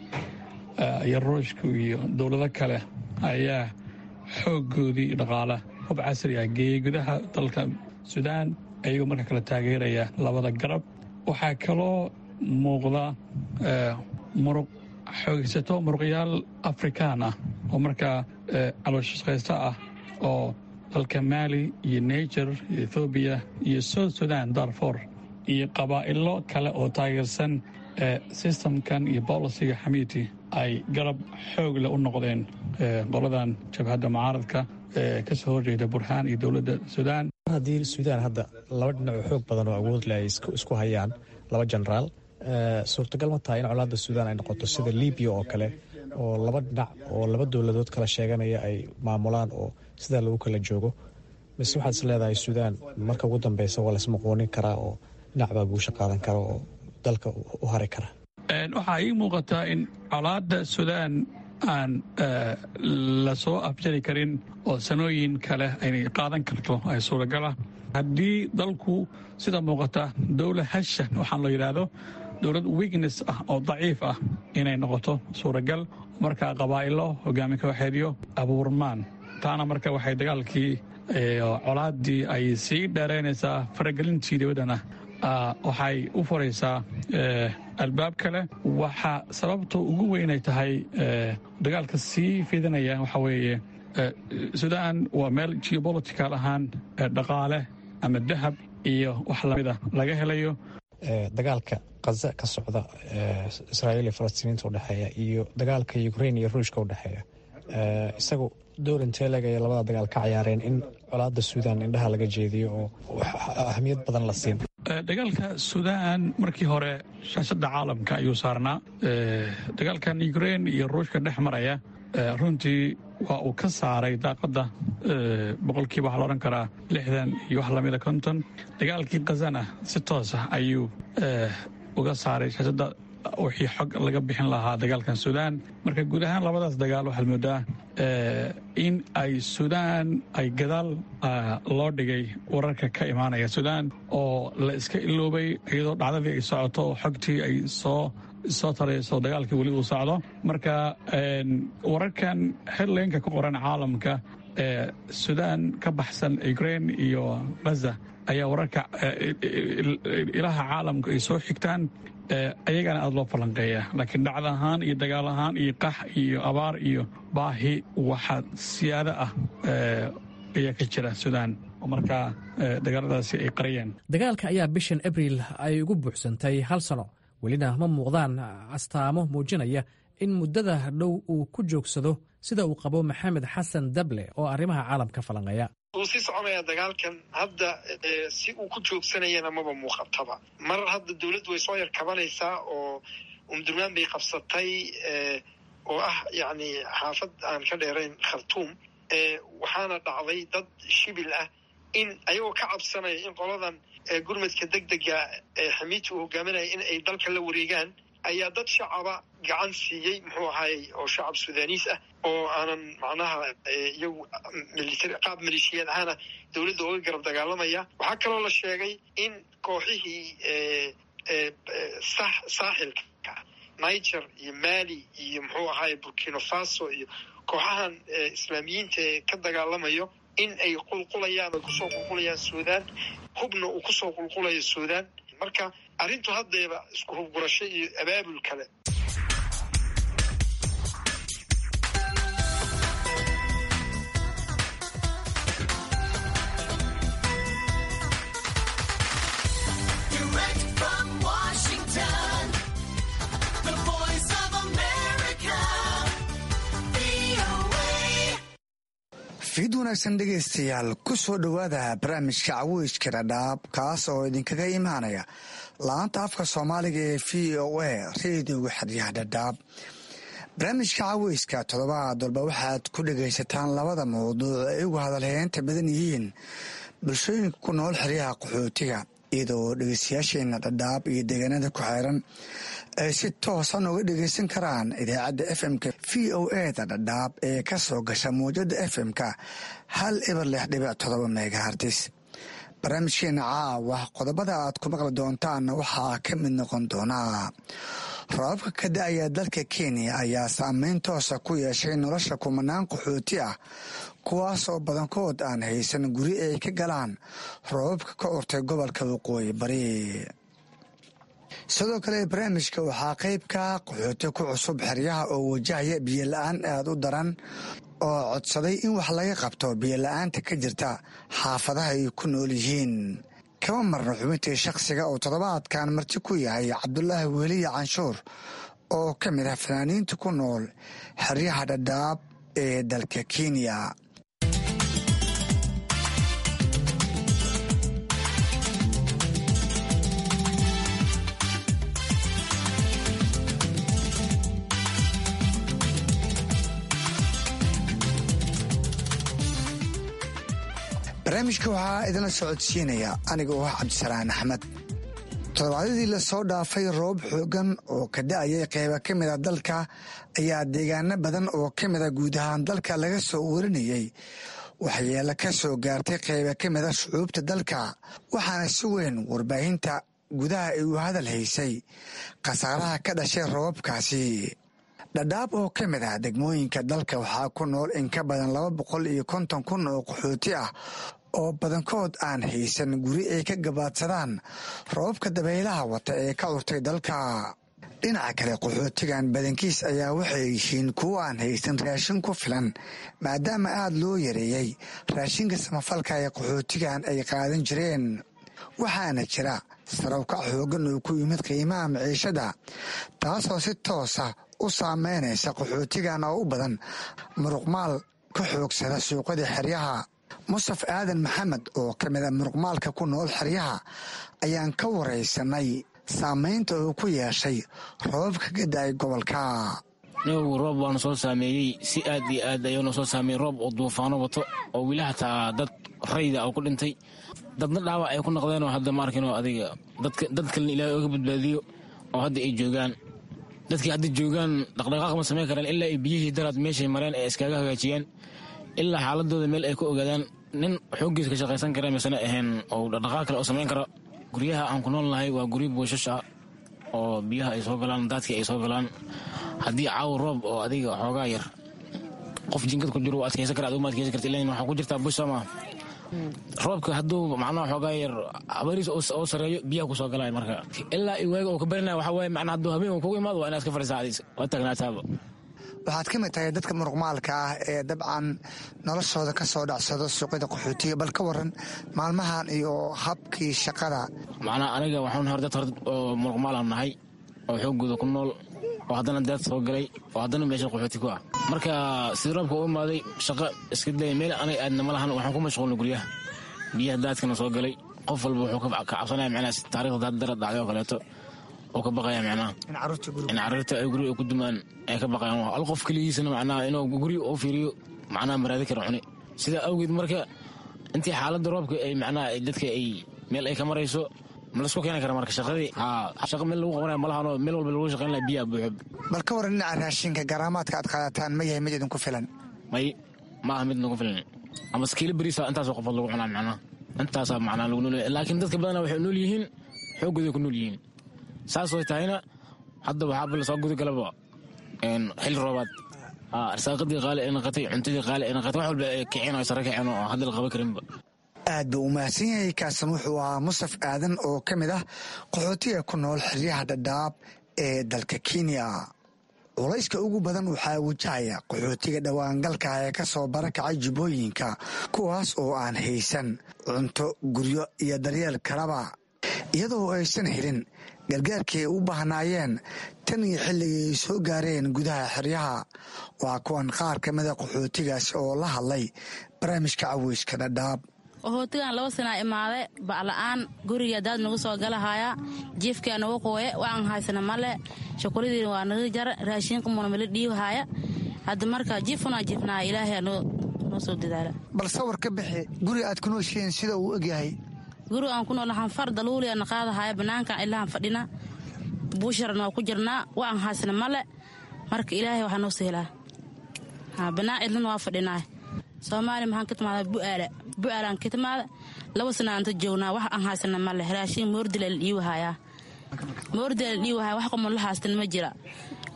iyo Ruushku iyo dowlado kale, ayaa xooggoodii dhaqaala hub casri ah geeyey gudaha dalka Suudaan, ayagoo marka kala taageeraya labada garab. Waxaa kaloo muuqda muruq xoogaysato, muruqyaal Afrikaan ah oo markaa calooshaqaysto ah, oo dalka Maali iyo Niger iyo Ethoobiya iyo South Sudan, Darfor iyo qabaa'ilo kale oo taageersan systemkan iyo policyga Xamiiti ay garab xoog leh u noqdeen qoladan jabhadda mucaaradka ee ka soo horjeeda Burhaan iyo dowladda Suudaan. Haddii Suudaan hadda laba dhinac oo xoog badan oo awood leh ay isku hayaan, laba jenaraal, suurtagal ma tahay in colaadda Suudaan ay noqoto sida Libiya oo kale, oo laba dhinac oo laba dowladood kala sheeganaya ay maamulaan oo sidaa lagu kala joogo, mise waxaad is leedahay Suudaan marka ugu dambeysa waa laismuquunin karaa oo dhinac baa guusha qaadan kara oo dalka u hari kara? Waxaa ii muuqataa in colaadda Suudaan aan lasoo afjari karin oo sanooyin kale aynay qaadan karto ay suuragala, haddii dalku sida muuqata dowlad hasha waxaan loo yidhaahdo dowlad weakness ah oo daciif ah inay noqoto suuragal, markaa qabaa'ilo hogaami kooxeedyo abuurmaan. Taana marka waxay dagaalkii, colaaddii ay sii dheeraynaysaa, faragelintii dibaddana waxay u furaysaa albaab kale. Waxaa sababta ugu weynay tahay dagaalka sii fidinaya waxaa weeye, Suudaan waa meel geopolitical ahaan dhaqaale ama dahab iyo wax lamida laga helayo. Dagaalka Qaza ka socda, Israa'iil iyo Falastiiniinta udhexeeya, iyo dagaalka Ukrain iyo Ruushka udhexeeya, isagu door intee leeg ayay labada dagaal ka ciyaareen in colaadda Suudaan indhaha laga jeediyo oo ahamiyad badan la siin? Dagaalka Suudaan markii hore shaashadda caalamka ayuu saarnaa. Dagaalkan Ukrain iyo Ruushka dhex maraya runtii waa uu ka saaray daaqadda boqolkiiba waxaa la odhan karaa lixdan iyo wax lamida konton. Dagaalkii Khazana si toos ah ayuu uga saaray shaashadda wixii xog laga bixin lahaa dagaalkan Suudaan. Marka guud ahaan labadaas dagaal waxaad moodaa in ay Suudaan ay gadaal loo dhigay wararka ka imaanaya Suudaan oo la iska iloobay, iyadoo dhacdadii ay socoto oo xogtii ay soo soo tarayso, dagaalkii weli uu socdo. Marka wararkan headlineka ku qoran caalamka ee Suudaan ka baxsan Ukraine iyo Gaza ayaa wararka ilaha caalamka ay soo xigtaan, ayagana aada loo falanqeeya. Laakiin dhacda ahaan iyo dagaal ahaan iyo qax iyo abaar iyo baahi waxaa siyaado ah ayaa ka jira Suudaan oo markaa dagaaladaasi ay qariyeen. Dagaalka ayaa bishan Abriil ay ugu buuxsantay hal sano, welina ma muuqdaan astaamo muujinaya in muddada dhow uu ku joogsado, sida uu qabo Maxamed Xasan Dable oo arrimaha caalamka falanqeeya. Wuu sii soconaya dagaalkan hadda, si uu ku joogsanayana maba muuqataba. Mar hadda dowladdu way soo yar kabanaysaa oo Umdurmaan bay qabsatay, oo ah yacni xaafad aan ka dheerayn Khartuum. Waxaana dhacday dad shibil ah in ayagoo ka cabsanaya in qoladan gurmadka deg dega ee Xamiiti uu hogaaminaya in ay dalka la wareegaan ayaa dad shacaba gacan siiyey, muxuu ahaayey, oo shacab Sudaaniis ah oo aanan macnaha iyagu military qaab maleeshiyaad ahaana dowladda uga garab dagaalamaya. Waxaa kaloo la sheegay in kooxihii Saaxilka, Niger iyo Mali iyo muxuu ahaay Burkina Faso iyo kooxahan islaamiyiinta ee ka dagaalamayo in ay qulqulayaan oo kusoo qulqulayaan Suudaan, hubna uu kusoo qulqulayo Suudaan. Marka arrintu haddeeba isku hubgurasho iyo abaabul kale. Fiid wanaagsan dhegaystayaal, ku soo dhowaada barnaamijka Caweyska Dhadhaab, kaas oo idinkaga imaanaya laanta afka Soomaaliga ee V O A, reediyoga xeryaha Dhadhaab. Barnaamijka caweyska toddobaad walba waxaad ku dhegaysataan labada mawduuc ay ugu hadalheynta badan yihiin bulshooyinka ku nool xeryaha qaxootiga, iyadoo dhegeystayaasheena Dhadhaab iyo deegaanada ku xeeran ay si toosan uga dhegeysan karaan idaacadda F M-ka V O A da Dhadhaab ee ka soo gasha muwjada F M-ka hal eber lix dhibic todoba megahertz. Barnaamijkeena caawa qodobada aad ku maqli doontaan waxaa ka mid noqon doonaa: roobabka ka da-aya dalka Kenya ayaa saameyn toosa ku yeeshay nolosha kumanaan qaxooti ah, kuwaas oo badankood aan haysan guri ay ka galaan roobabka ka urtay gobolka Waqooyi Bari. Sidoo kale barnaamijka waxaa qayb ka qaxooti ku cusub xeryaha oo wajahaya biyo la-aan aada u daran oo codsaday in wax laga qabto biyo la-aanta ka jirta xaafadaha ay ku nool yihiin. Kama marno xubintii shakhsiga oo toddobaadkan marti ku yahay Cabdulaahi Weliye Canshuur oo ka mid ah fanaaniinta ku nool xeryaha Dhadhaab ee dalka Kenya. Barnaamijka waxaa idinla socodsiinaya aniga oo ah Cabdisalaan Axmed. Toddobaadyadii lasoo dhaafay, roob xoogan oo ka da-ayay qeyba ka mid a dalka ayaa deegaano badan oo ka mid a guud ahaan dalka laga soo warinayay waxyeelo ka soo gaartay qeyba ka mid a shucuubta dalka, waxaana si weyn warbaahinta gudaha ay u hadal haysay khasaaraha ka dhashay roobabkaasi. Dhadhaab oo ka mid ah degmooyinka dalka waxaa ku nool in ka badan laba boqol iyo konton kun oo qaxooti ah oo badankood aan haysan guri ay ka gabaadsadaan roobabka dabaylaha wata ee ka curtay dalka. Dhinaca kale, qaxootigan badankiis ayaa waxay yihiin kuwo aan haysan raashin ku filan, maadaama aada loo yareeyey raashinka samafalka ee qaxootigan ay qaadan jireen, waxaana jira sarawkac xoogan oo ku yimid qiimaha maciishada, taasoo si toosa u saameynaysa qaxootigan oo u badan muruqmaal ka xoogsada suuqada xeryaha. Mustaf Aadan Maxamed oo ka mid a muruqmaalka ku nool xeryaha ayaan ka waraysanay saameynta uu ku yeeshay roobabka ka da-ay gobolka. Nabigu roob waana soo saameeyey, si aad iyo aad ayuuna soo saameeyey, roob oo duufaano wato oo weli hataa dad rayda oo ku dhintay, dadna dhaawac ay ku noqdeenoo hadda ma arkinoo adiga dad kalena Ilaahay oga badbaadiyo oo hadda ay joogaan. Dadkii hadda joogaan dhaqdhaqaaq ma samayn karaan ilaa ay biyihii daraad meeshay mareen ay iskaga hagaajiyaan, ilaa xaaladooda meel ay ku ogaadaan. Nin xooggiisa ka shaqaysan kara misena ahayn oo dhaqdhaqaaq kale oo samayn karo. Guryaha aan ku nool nahay waa guryo buushash ah oo biyaha ay soo galaan, daadkii ay soo galaan. Haddii caawa roob oo adiga xoogaa yar, qof jinkad ku jiro wuu adkaysan kara, adigu ma adkaysan karti, ilan waxaa ku jirtaa bush soo maa. Roobka hadduu macnaha xoogaa yar abariis oo sareeyo, biyaha ku soo galaya. Marka ilaa i waaga oo ka barinaya waxaa waaye, macnaha hadduu habeen uu kugu imaado, waa inaad iska fadhiisaa, adiis waa taagnaataaba. Waxaad ka mid tahay dadka muruqmaalka ah ee dabcan noloshooda ka soo dhacsado suuqyada qaxootiga. Bal ka waran maalmahan iyo habkii shaqada? Macnaha aniga waxaan hor dad hor oo muruqmaalaan nahay oo xooggooda ku nool oo haddana daad soo galay oo haddana meesha qaxooti ku ah. Marka sida roobka u imaaday, shaqo iska day, meel aniga aadna ma lahan. Waxaan ku mashquulnay guryaha, biyaha daadkana soo galay. Qof walba wuxuu ka cabsanaya macnaha taariikhda daad dara dhacday oo kaleeto oo ka baqaya, macnaha in carruurta ay guriga ku dumaan ay ka baqayaan. Hal qof keligiisana macnaha inuu guriga u fiiriyo macnaha maraadi kara cuni. Sidaa awgeed marka intii xaaladda roobka ay macnaha dadka ay meel ay ka marayso ma laisku keeni kara. Marka shaqadii haa, shaqa meel lagu qabanaya malahanoo meel walba lagu shaqayn laha biyaha buuxo. Bal ka waran dhinaca raashinka, garaamaadka aad qaadataan ma yahay mid idinku filan? May, ma aha mid nagu filan. Ama kiilo beriisa intaasoo qofood lagu cunaa, macnaha intaasaa macnaha lagu nool. Laakiin dadka badanaa waxay nool yihiin xooggooday ku nool yihiin. Saasoo tahayna hadda waxaaba lasoo gudagalaba xilli roobaad, arsaaqadii qaali ay noqotay, cuntadii qaali ay noqotay, wax walba ay kiceen oo sare kaceen oo hadda la qaban karinba. Aad buu u mahadsan yahay. Kaasan wuxuu ahaa Mustaf Aadan oo ka mid ah qaxootiga ku nool xeryaha Dhadhaab ee dalka Kenya. Culayska ugu badan waxaa wajahaya qaxootiga dhowaangalka ee ka soo barakacay Jubbooyinka, kuwaas oo aan haysan cunto, guryo iyo daryeel kalaba, iyadoo aysan helin gargaarkii ay u baahnaayeen tan iyo xilligii ay soo gaareen gudaha xeryaha. Waa kuwan qaar ka mida qaxootigaas oo la hadlay barnaamijka Caweyska Dhadhaab. Qaxootigan laba sanaa imaade, bacla'aan guriga daad nagu soo galahaya, jiifkaa nagu qooye, waan haysana male, shukuladiina waa naga jara, raashinkamuna mala dhiibahaya. Hadda marka jiifunaa jiifnaa, Ilaahay noo soo dadaala. Bal sawir ka bixi guriga aad ku nooshihiin sida uu egyahay. Guriga aan ku nool waxaan far daluuliya na qaadahaya, banaankan ilahan fadhina, buusharna waa ku jirnaa, waan haysana male. Marka Ilaahay waxaa noo sahelaa, banaan cidlana waa fadhinaa. Soomaaliya maxaan ka timaada? Bu'aala, Bu'aalaan ka timaada. Laba sana anta joognaa, wax aan haysana male. Raashin moordila la dhiiwahayaa, moordila la dhiiwahaya, wax qomon la haystan ma jira.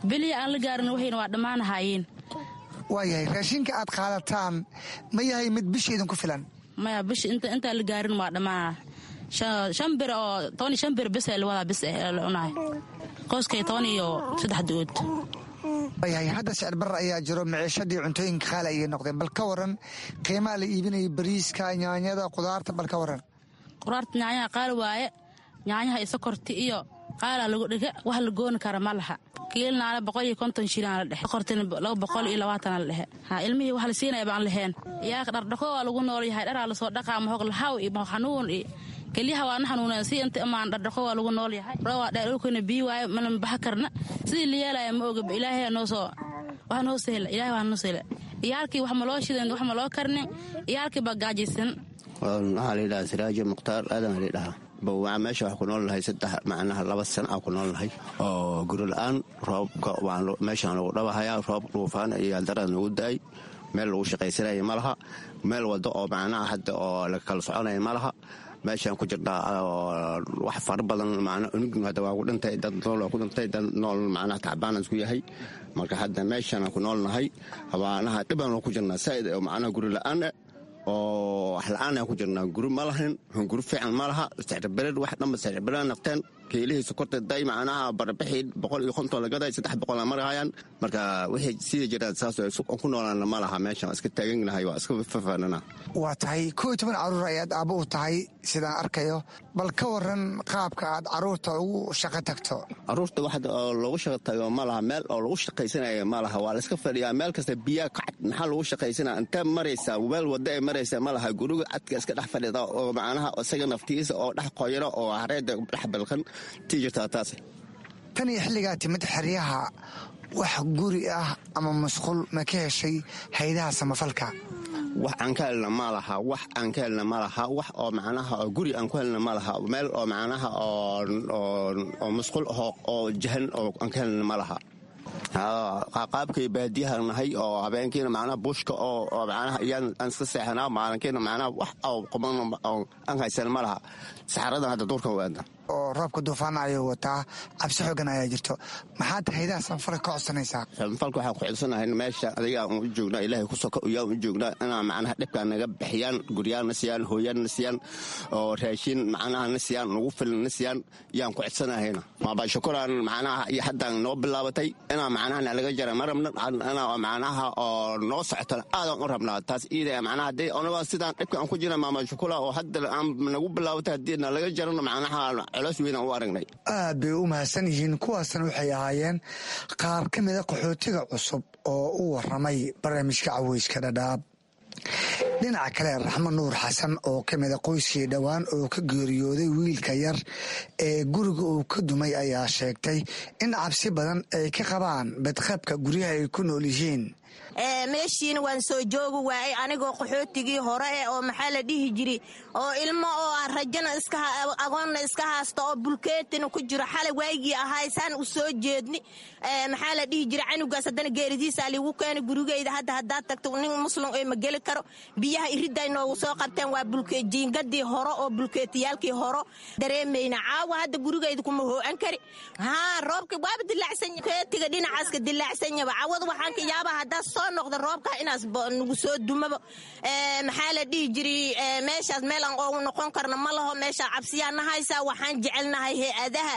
Biliya aan la gaarin waxayna waa dhammaanahaayeen. Waayahay, raashinka aad qaadataan ma yahay mid bisha idinku filan? Maya, bisha inta intaan la gaarin waa dhammaanaa. Shan bir oo toban iyo shan bir bis la wadaa, bis eh la cunaay qoyskay, toban iyo saddex du-ood. Waayahay, hadda sicir barar ayaa jiro, maciishadii cuntooyinka qaali ayay noqdeen. Bal ka waran qiimaha la iibinayo bariiska, nyaanyada, qudaarta? Bal ka waran. Qudaarta, nyaanyaha qaali waaye. Nyaanyaha iyo sokorti iyo qaalaa lagu dhiga, wax la gooni kara ma laha. Kiilnaala boqol iyo konton shilin la dhexe, sokortina laba boqol iyo labaatan la dhexe. Ha ilmihii wax la siinaya baan laheen. Iyaaka dhardhaqo waa lagu nool yahay, dharaa lasoo dhaqaa, mahog lahaw iyo mahog xanuun iyo keliyaha waana xanuuneen si inta imaan, dhardhaqo waa lagu nool yahay. Roobaa dheer, dhulkuna biyo waaye, mana baxa karna. Sidii la yeelaya ma oga. Ilaahay noo soo wax noo sahla, Ilaahay wax noo sahla. Iyaalkii wax ma loo shidan, wax ma loo karnin, iyaalkii baa gaajaysan. Waxaa la yidhaha Siraajo Mukhtaar Aadan la yidhahaa. Bawaa meesha waxaa ku nool nahay saddex, macnaha laba sana aa ku nool nahay oo guri la-aan. Roobka meeshaan lagu dhabahayaa, roob dhuufaan iyo aldarada nagu da-ay. Meel lagu shaqaysanaya ma laha, meel wado oo macnaha hadda oo la kala soconaya ma laha. Meeshaan ku jirnaa wax fara badan, macnaa unug hadda waa ku dhintay, dad nool waa ku dhintay, dad nool macnaha tacbaanan isku yahay. Marka hadda meeshaan ku nool nahay, habaanaha dhibaan ku jirnaa saa'id oo macnaha guri la-aan oo wax la-aan aan ku jirnaa. Guri ma lahayn, guri fiican ma laha. Sicirbarir wax dhanba sicirbarir nafteen. Kiilihii sokorta day macnaha barbixii boqol iyo konton lagaday, saddex boqol marahayaan. Marka wixii sida jiraan saas ku noolaana ma laha. Meeshan waa iska taaganahay, waa iska fafaanana. Waa tahay, kow iyo toban caruur ayaad aabbo u tahay sidaan arkayo. Bal ka waran qaabka aad caruurta ugu shaqo tagto. Caruurta wax loogu shaqo tago ma laha, meel oo lagu shaqaysanayo ma laha. Waa la iska fadhiyaa meel kasta, biyaa kacad. Maxaa lagu shaqaysanaa? Intee maraysaa? Meel wadda ay maraysaa ma laha. Guriga cadka iska dhex fadhida oo macnaha isaga naftiisa oo dhex qoyro oo hareeda dhex balqan tii jirtaa taas. Tan iyo xilligaa timid xeryaha, wax guri ah ama musqul ma ka heshay haydaha samafalka? Wax aan ka helna ma laha, wax aan ka helna ma laha. Wax oo macnaha oo guri aan ku helna ma laha, meel oo macnaha oo musqul oo jahan oo aan ka helna ma laha. Qaabkay baadiyaha nahay oo habeenkiina macnaha buushka oo macnaha iyaan aan iska seexanaa, maalinkiina macnaha wax oo quman oo aan haysan ma laha. Saxaradan hadda duurkan waada. Oo roobka duufaana ayuu wataa, cabsi xoogan ayaa jirto. Maxaad haydaha samafalka ka codsanaysaa? Samafalka waxaan ku codsanahay meesha adiga aan u joognaa, Ilaahay ku soka iyaan u joognaa, inaa macnaha dhibkaa naga bixiyaan, guryaana siiyaan, hooyaanna siiyaan, oo raashin macnaha na siiyaan, nagu filan na siiyaan yaan ku codsanahayna. Maaba shukuraan macnaha iyo haddaan noo bilaabatay inaa macnaha nalaga jara ma rabna, inaa macnaha oo noo socotona aadan u rabnaa taas iida macnaha. Haddii onaga sidaan dhibka aan ku jira maama shukula oo hadda aan nagu bilaabatay, haddii nalaga jarano macnaha Aad bay u mahadsan yihiin. Kuwaasna waxay ahaayeen qaar ka mida qaxootiga cusub oo u waramay barnaamijka Caweyska Dhadhaab. Dhinaca kale, Raxmo Nuur Xasan oo ka mida qoyskii dhowaan oo ka geeriyooday wiilka yar ee guriga uu ka dumay ayaa sheegtay in cabsi badan ay ka qabaan badqabka guryaha ay ku nool yihiin. Meeshiina waan soo joogi waayay anigoo qaxootigii hore eh oo maxaa la dhihi jiri oo ilmo oo rajana iska agoonna iska haasta oo bulkeetina ku jiro xalay waygii ahaay saan u soo jeedni. Maxaa la dhihi jira, canugaas haddana geeridiisa liigu keenay gurigeyda. Hadda haddaad tagto nin muslim ee ma geli karo. Biyaha iridday noogu soo qabteen, waa bulke jiingadii hore oo bulkeetiyaalkii horo dareemayna. Caawa hadda gurigeyda kuma hoo'an kari. Haa, roobka waaba dilaacsan, keetiga dhinacaaska dilaacsanyaba. Cawada waxaan ka yaaba haddaad soo noqda roobka inaas nagu soo dumaba. Maxaa la dhihi jiri, meeshaas meel aan oogu noqon karno ma laho. Meeshaa cabsiyaa na haysaa. Waxaan jecelnahay hay-adaha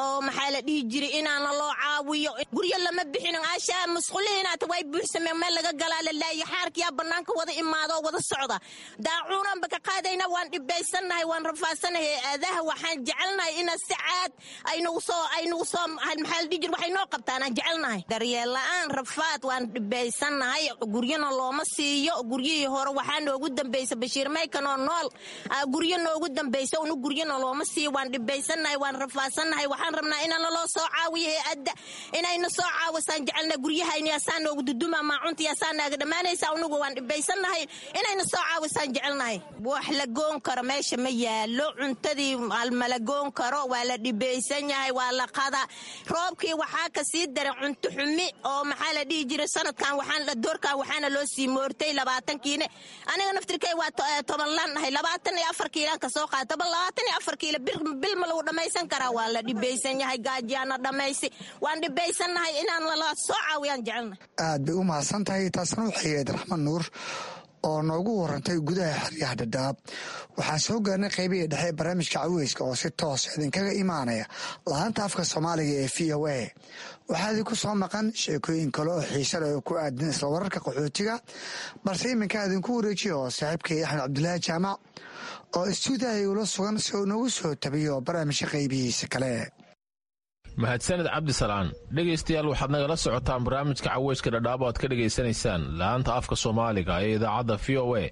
oo maxaa la dhihi jiri inaana loo caawiyo. Guryo lama bixin, ashaa musqulihiinaata way buuxsameen, meel laga galaa la laayo. Xaarkiyaa bannaanka wada imaado oo wada socda, daacuunanba ka qaadayna. Waan dhibaysannahay, waan rafaadsannahay. Hay-adaha waxaan jecelnahay ina si caad aynagu soo aynagu soo maxaa la dhihi jiri waxay noo qabtaan aan jecelnahay. Daryeel la-aan, rafaad, waan dhibaysannahay. Guryana looma siiyo. Guryihii hore waxaa noogu dambaysa Bashiir Maykan oo nool guryo noogu dambaysa. Unu guryana looma siiyo. Waan dhibaysannahay, waan rafaadsannahay. Waxaan rabnaa inaana loo soo caawiyo, hay-adda inayna soo caawisaan jecelnahay. Guryahayna yaasaa noogu duduma, maacunta yaasaa naaga dhammaanaysa. Unugu waan dhibaysannahay, inayna soo caawisaan jecelnahay. Wax la goon karo meesha ma yaalo. Cuntadii mala goon karo, waa la dhibaysan yahay, waa la qada. Roobkii waxaa ka sii daray cunto xumi oo maxaa la dhihi jiray sanadkan waxaan doorkan waxaana loo sii moortay labaatankiine. Aniga naftirkay waa toban laan ahay, labaatan iyo afar kiilaan kasoo qaata. Toban labaatan iyo afar kiilo bil ma lagu dhammaysan karaa? Waa la dhibaysan yahay, gaajiyaana dhammaysi. Waan dhibaysannahay, inaan lala soo caawiyaan jecelnahay. Aad bay u mahadsan tahay. Taasna waxay ahayd Raxmad Nuur oo noogu warantay gudaha xeryaha Dhadhaab. Waxaan soo gaarnay qaybihii dhexe ee barnaamijka caweyska oo si toos idinkaga imaanaya laanta afka Soomaaliga ee V O A. Waxaa idinku soo maqan sheekooyin kale oo xiise leh oo ku aadan isla wararka qaxootiga, balse iminka idinku wareejiyo oo saaxiibkay Axmed Cabdulaahi Jaamac oo istuudiyaha ula sugan si uu noogu soo tabiyo barnaamijka qaybihiisa kale. Mahadsaned, Cabdisalaan. Dhegaystayaal, waxaad nagala socotaan barnaamijka caweyska Dhadhaab oo aad ka dhegaysanaysaan laanta afka Soomaaliga ee idaacadda V O A.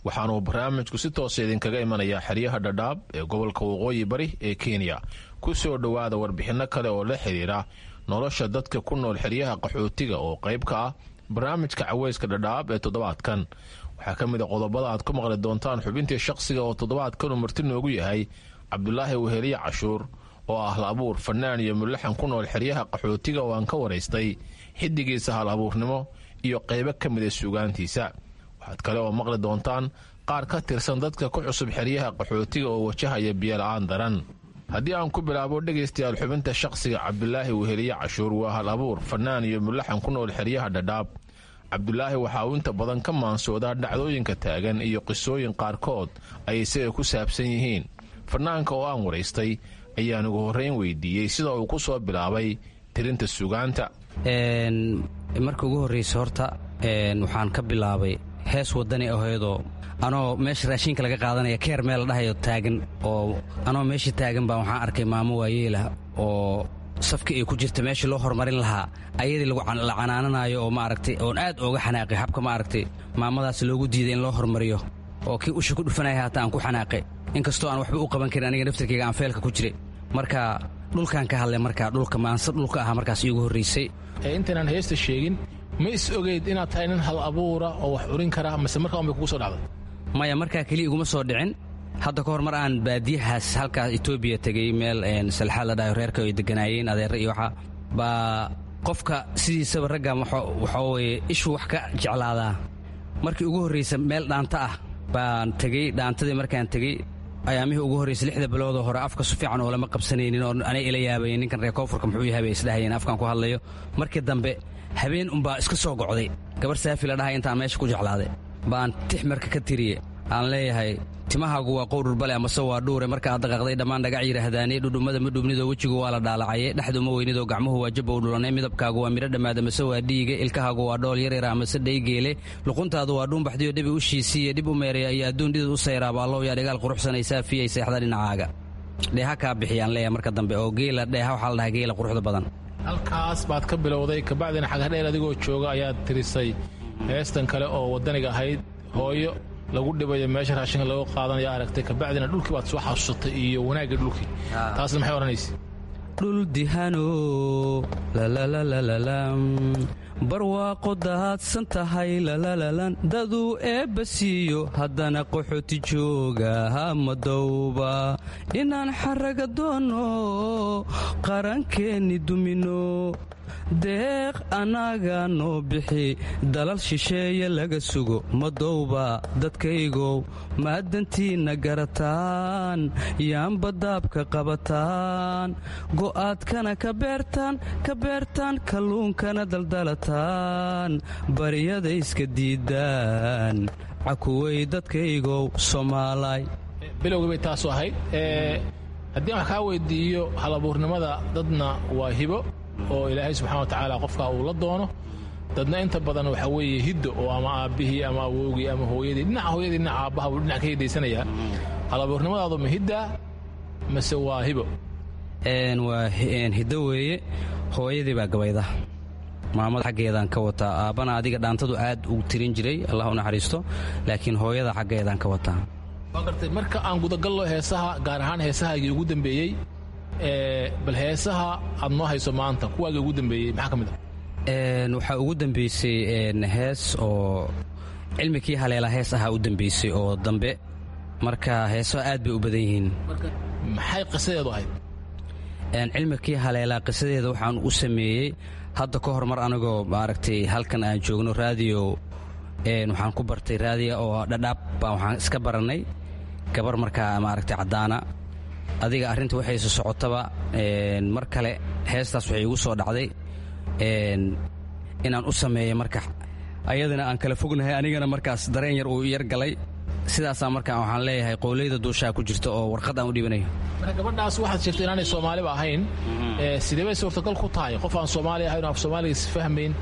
Waxaanuu barnaamijku si toosa idinkaga imanayaa xeryaha Dhadhaab ee gobolka Waqooyi Bari ee Kenya. Ku soo dhowaada warbixinno kale oo la xidhiira nolosha dadka ku nool xeryaha qaxootiga oo qayb ka ah barnaamijka caweyska Dhadhaab ee toddobaadkan. Waxaa ka mid a qodobada aad ku maqli doontaan xubintii shaqsiga oo toddobaadkanu marti noogu yahay Cabdulaahi Weheliye Cashuur oo ah hal abuur, fanaan iyo mulaxan ku nool xeryaha qaxootiga oo aan ka waraystay xiddigiisa hal abuurnimo iyo qaybo ka mida suugaantiisa. Waxaad kale oo maqli doontaan qaar ka tirsan dadka ku cusub xeryaha qaxootiga oo wajahaya biyola-aan daran. Haddii aan ku bilaabo, dhegaystayaal, xubinta shaqsiga, Cabdulaahi Weheliye Cashuur waa hal abuur, fanaan iyo mulaxan ku nool xeryaha Dhadhaab. Cabdulaahi waxa uu inta badan ka maansoodaa dhacdooyinka taagan iyo qisooyin qaarkood ay isaga ku saabsan yihiin. Fanaanka oo aan waraystay ayaan ugu horrayn weydiiyey sida uu ku soo bilaabay tirinta suugaanta. Marka ugu horraysa horta waxaan ka bilaabay hees wadani ahaydoo anoo meesha raashinka laga qaadanaya keer meel la dhahayo taagan, oo anoo meesha taagan baa waxaan arkay maamo waayeelah oo safkii ay ku jirta meeshii loo horumarin lahaa ayadii la canaananayo, oo maaragtay oon aad ooga xanaaqay habka maaragtay maamadaas loogu diiday in loo horumariyo, oo kii usha ku dhufanaya haata aan ku xanaaqay, inkastoo aan waxba u qaban karin aniga naftarkayga aan feelka ku jiray. Marka dhulkaan ka hadlay, marka dhulka maanse dhulka ahaa markaas iigu horraysay. Intaynaan heesta sheegin, ma is ogeyd inaad tahay nin hal abuura oo wax curin kara, mase markaa unbay kugu soo dhacday? Maya, markaa keliya iguma soo dhicin. Hadda ka hor mar aan baadiyahaas halkaas Etoobiya tegey, meel salxaad la dhahayo reerka ay deganaayeen adeerre iyo waxa baa qofka sidiisaba ragga waxaa weeye ishuu wax ka jeclaadaa. Markii ugu horraysa meel dhaanta ah baan tegey. Dhaantadii markaan tegey, ayaamihii ugu horraysay, lixda biloodoo hore afka su fiican oo lama qabsanaynin oo anay ila yaabayeen, ninkan reer koonfurka muxuu yahay bay isdhahayeen afkaan ku hadlayo. Markii dambe habeen unbaa iska soo gocday gabar Saafi la dhahay intaan meesha ku jeclaaday baan tix marka ka tiriye aan leeyahay: timahaagu waa qowdhurbale amase waa dhuure, marka aad dhaqaaqday dhammaan dhagac yidhaahdaane, dhudhummada ma dhubnidoo wejigu waa la dhaalacaye, dhexdu ma weynidoo gacmuhu waa jabbow dhulanay, midabkaagu waa midho dhammaad amase waa dhiige, ilkahaagu waa dhool yaryara amase dhaygeele, luquntaadu waa dhuunbaxdiyo dhibi u shiisiiye, dhib u meereya iyo adduun dhidid u sayraaba, allow yaa dhigaal quruxsanaysaa fiyay seexda dhinacaaga dheeha kaa bixiyaan leeyahay. Marka dambe oo geela dheeha waxaa la dhahaa geela quruxda badan. Halkaas baad ka bilowday, kabacdina Xagadheer adigoo jooga ayaad tirisay heestan kale oo waddaniga ahayd. Hooyo lagu dhibayo meesha raashinka lagu qaadanaya aragtay, kabacdina dhulkii baad soo xasuusatay iyo wanaagga dhulkii. Taasna maxay odhanaysa? Dhul dihano lalalalalala, barwaaqo daadsan tahay lalalalan, daduu eebba siiyo haddana qaxooti jooga hamadowba. Inaan xaraga doonno, qarankeenni dumino, deeq annaga noo bixi, dalal shisheeye laga sugo madowba. Dadkaygow, maadantiinna garataan, yaanba daabka qabataan, go'aadkana ka beertaan, ka beertaan, kalluunkana daldalataan, baryada iska diidaan. Cakuway dadkaygow Soomaalay. Bilowgii bay taasu ahayd. Haddii aan wax kaa weydiiyo halabuurnimada, dadna waa hibo oo Ilaahay subxana wa tacaala qofkaa uu la doono, dadna inta badan waxaa weeye hiddo oo ama aabbihii ama awowgii ama hooyadii, dhinaca hooyadii, dhinaca aabbaha buu dhinac ka hidaysanayaa. Halabuurnimadaadu ma hiddaa mase waa hibo? Waa hiddo weeye. Hooyadii baa gabayda, maamada xaggeedaan ka wataa. Aabbana adiga dhaantadu aad u tirin jiray, Allah u naxariisto, laakiin hooyada xaggeedaan ka wataa. Waa gartay. Marka aan gudagallo heesaha, gaar ahaan heesahaagii ugu dambeeyey, bal heesaha aad noo hayso maanta, kuwaagii ugu dambeeyey maxaa ka mid ah? Waxaa ugu dambeysay hees oo Cilmi Kii Haleela hees ahaa u dambeysay oo dambe. Marka heesaha aad bay u badan yihiin. Maxay qisadeedu ahayd? Cilmi Kii Haleelaa qisadeeda waxaan u sameeyey hadda ka hor mar anigoo maaragtay halkan aan joogno raadiyo, waxaan ku bartay raadiya oo Dhadhaab baa waxaan iska barannay gabar markaa maaragtay caddaana. Adiga arrinta waxayse socotaba, mar kale heestaas waxay igu soo dhacday inaan u sameeyo marka ayadana aan kala fognahay, anigana markaas dareen yar uu yar galay. Sidaasaa marka waxaan leeyahay qowleyda duushaa ku jirta oo warqad aan u dhibanayo. Marka gabadhaas waxaad sheegtay inaanay Soomaaliba ahayn. Sidee bay suurtagal ku tahay qof aan Soomaali ahayn oo af Soomaaliga is fahmayn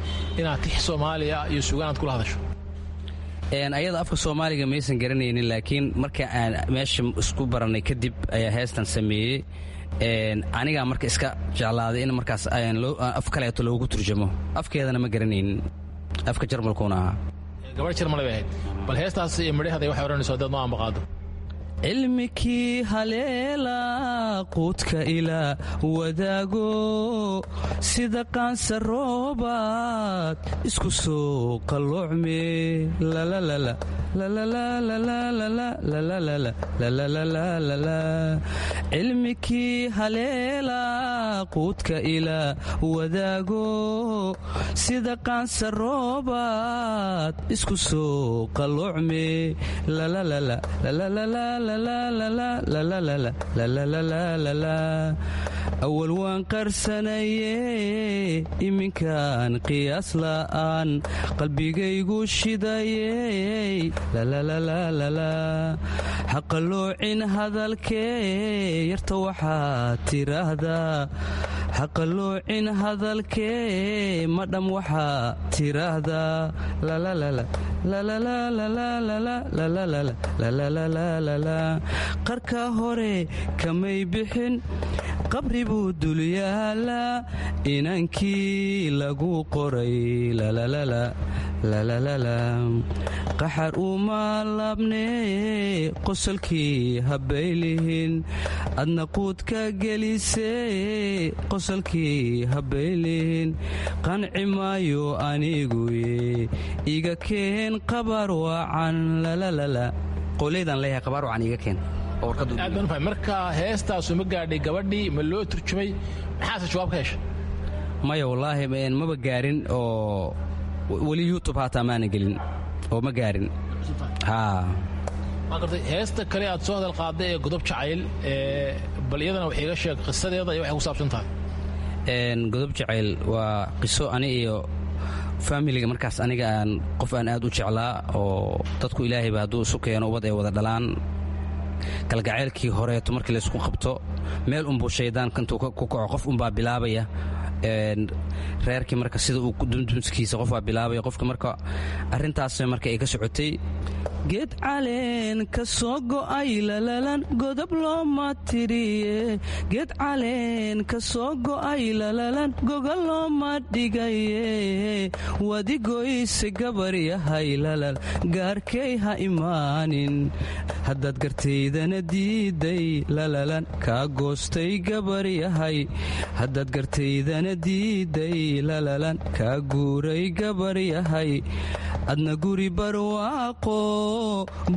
inaad tix Soomaaliya iyo sugaan aad kula hadasho? Ayada afka Soomaaliga maysan garanaynin, laakiin marka aan meesha isku barannay kadib ayaa heestan sameeyey. Anigaa marka iska jeclaaday in markaas af kaleeto loogu turjamo. Afkeedana ma garanaynin, afka Jarmalkuuna ahaa. Gabadh Jarmal bay ahayd. Bal heestaas iyo midhaheeda waxay odhanayso haddaad noo ambaqaado. Cilmikii haleela quudka ila wadaago, sida qaansa roobaad isku soo qalloocme. Cilmikii haleela quudka ila wadaago, sida qaansa roobaad isku soo qalloocme. Awal waan qarsanaye, iminkaan qiyaas la'aan qalbigaygu shidayey. Haqaloocin hadalkee yarta waxaad tiraahdaa, haqaloocin hadalkee madham waxaa tiraahdaa. Qarka hore kamay bixin, qabri buu dul yaalaa inankii lagu qoray. Qaxar uma laabnee, qosolkii habaylihin adna quudka gelisee, qosolkii habaylihin. Qanci maayo aniguye, iga keen qabar wacan. Qowleydan leeyahay qabaar wacan iga keen. Aad baan u fahmay. Marka heestaasu ma gaadhay gabadhii? Ma loo turjumay? Maxaase jawaab ka heshay? Maya, wallaahi maba gaarin, oo weli YouTube haataa maana gelin oo ma gaarin. Waa gartay. Heesta kale aad soo hadal qaaday ee Godob Jacayl, bal iyadana wax iiga sheeg qisadeeda iyo waxay ku saabsan tahay. Godob Jacayl waa qiso ani iyo faamiliga markaas aniga aan qof aan aad u jeclaa, oo dadku ilaahayba hadduu isu keeno ubad ay wada dhalaan, kalgaceylkii horeeto markii laysku qabto meel unbuu shaydaan intuu ku kaco qof unbaa bilaabaya Reerkii marka sida uu dumdumskiisa qof baa bilaabaya qofka marka arrintaas marka ay ka socotay. Geed caleen ka soo go'ay lalalan godob looma tiriye, geed caleen ka soo go'ay lalalan goga looma dhigaye, wadigoyse gabar yahay lalal gaarkay ha imaanin, haddaad gartaydana diiday lalalan kaa goostay gabar yahay, haddaad gartaydana diiday lalalan kaa guuray gabar yahay, adna guri barwaaqo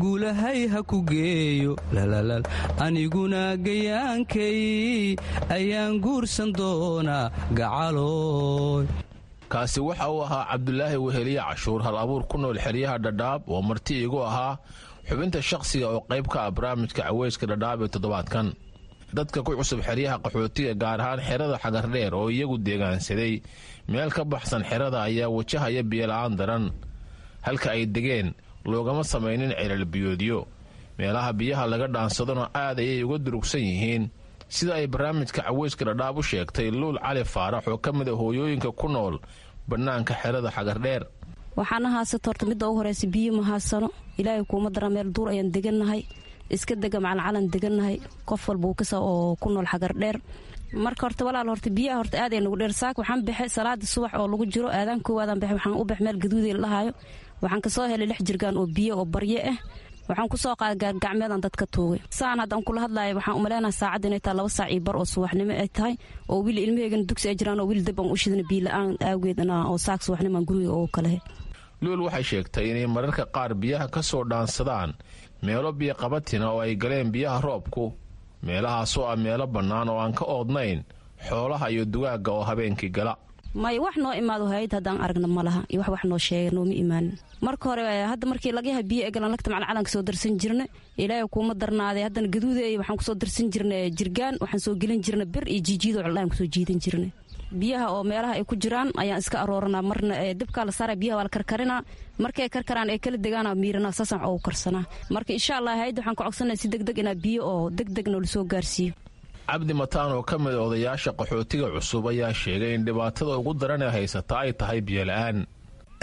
guulahay ha ku geeyo lalalal, aniguna gayaankay ayaan guursan doonaa gacalooy. Kaasi waxa uu ahaa Cabdulaahi Weheliye Cashuur, hal abuur ku nool xeryaha Dhadhaab oo marti iigu ahaa xubinta shakhsiga oo qayb ka ah barnaamijka Caweyska Dhadhaab ee toddobaadkan. Dadka ku cusub xeryaha qaxootiga, gaar ahaan xerada Xagardheer oo iyagu deegaansaday meel ka baxsan xerada, ayaa wajahaya biyola'aan daran. Halka ay degeen loogama samaynin celal biyoodyo, meelaha biyaha laga dhaansadona aad ayay uga durugsan yihiin, sida ay barnaamijka Caweyska Dhadhaab u sheegtay Luul Cali Faarax oo ka mid a hooyooyinka ku nool bannaanka xerada Xagardheer. Waxaana haysata horta midda ugu horeysa biyo ma haysano. Ilaahay kuuma dara, meel duur ayaan degannahay, iska dega macancalan degannahay, qof walba uu kasa oo ku nool Xagardheer. Marka horta walaal, horta biyaha horta aad ay nagu dheer. Saak waxaan baxay salaada subax oo lagu jiro aadaan koowaadaan baxay, waxaan u bax meel gaduuday la dhahaayo, waxaan kasoo helay lix jirgaan oo biyo oo baryo ah, waxaan kusoo qaaday gaargacmeedaan dadka tuugay. Saan haddaan kula hadlaaya waxaan umaleynaha saacadda inay tahay laba saac iyo bar oo subaxnimo ay tahay, oo wili ilmaheygana dugsi ay jiraan oo wili dab aan u shidana biyo la-aan aageed oo saak subaxnimo aan guriga ugu kalehe. Luul waxay sheegtay inay mararka qaar biyaha ka soo dhaansadaan meelo biyoqabatina oo ay galeen biyaha roobku, meelahaasoo ah meelo bannaan oo aan ka oodnayn xoolaha iyo dugaagga oo habeenkii gala. May, wax noo imaado hay-ad haddaan aragna ma laha iyo wax wax noo sheega nooma imaanin. Marka hore hadda markii lagayaha biyo egalan lagta macalcalanka soo darsan jirna, Ilaahay kuuma darnaaday, haddana gaduudeey waxaan kusoo darsan jirna jirgaan, waxaan soo gelin jirna bir iyo jiijiidoo coldhaan kusoo jiidan jirna. Biyaha oo meelaha ay ku jiraan ayaan iska arooranaa, marna dabkaa la saara, biyaha waa la karkarinaa, markay karkaraan ay kala degaana miiranaa, saasaan ugu karsanaa. Marka insha Allah hay-adda waxaan ka codsanaa si degdeg inaa biyo oo degdeg noola soo gaarsiiyo. Cabdi Mataan oo ka mid a odayaasha qaxootiga cusub ayaa sheegay in dhibaatada ugu daran ee haysata ay tahay biyo la'aan.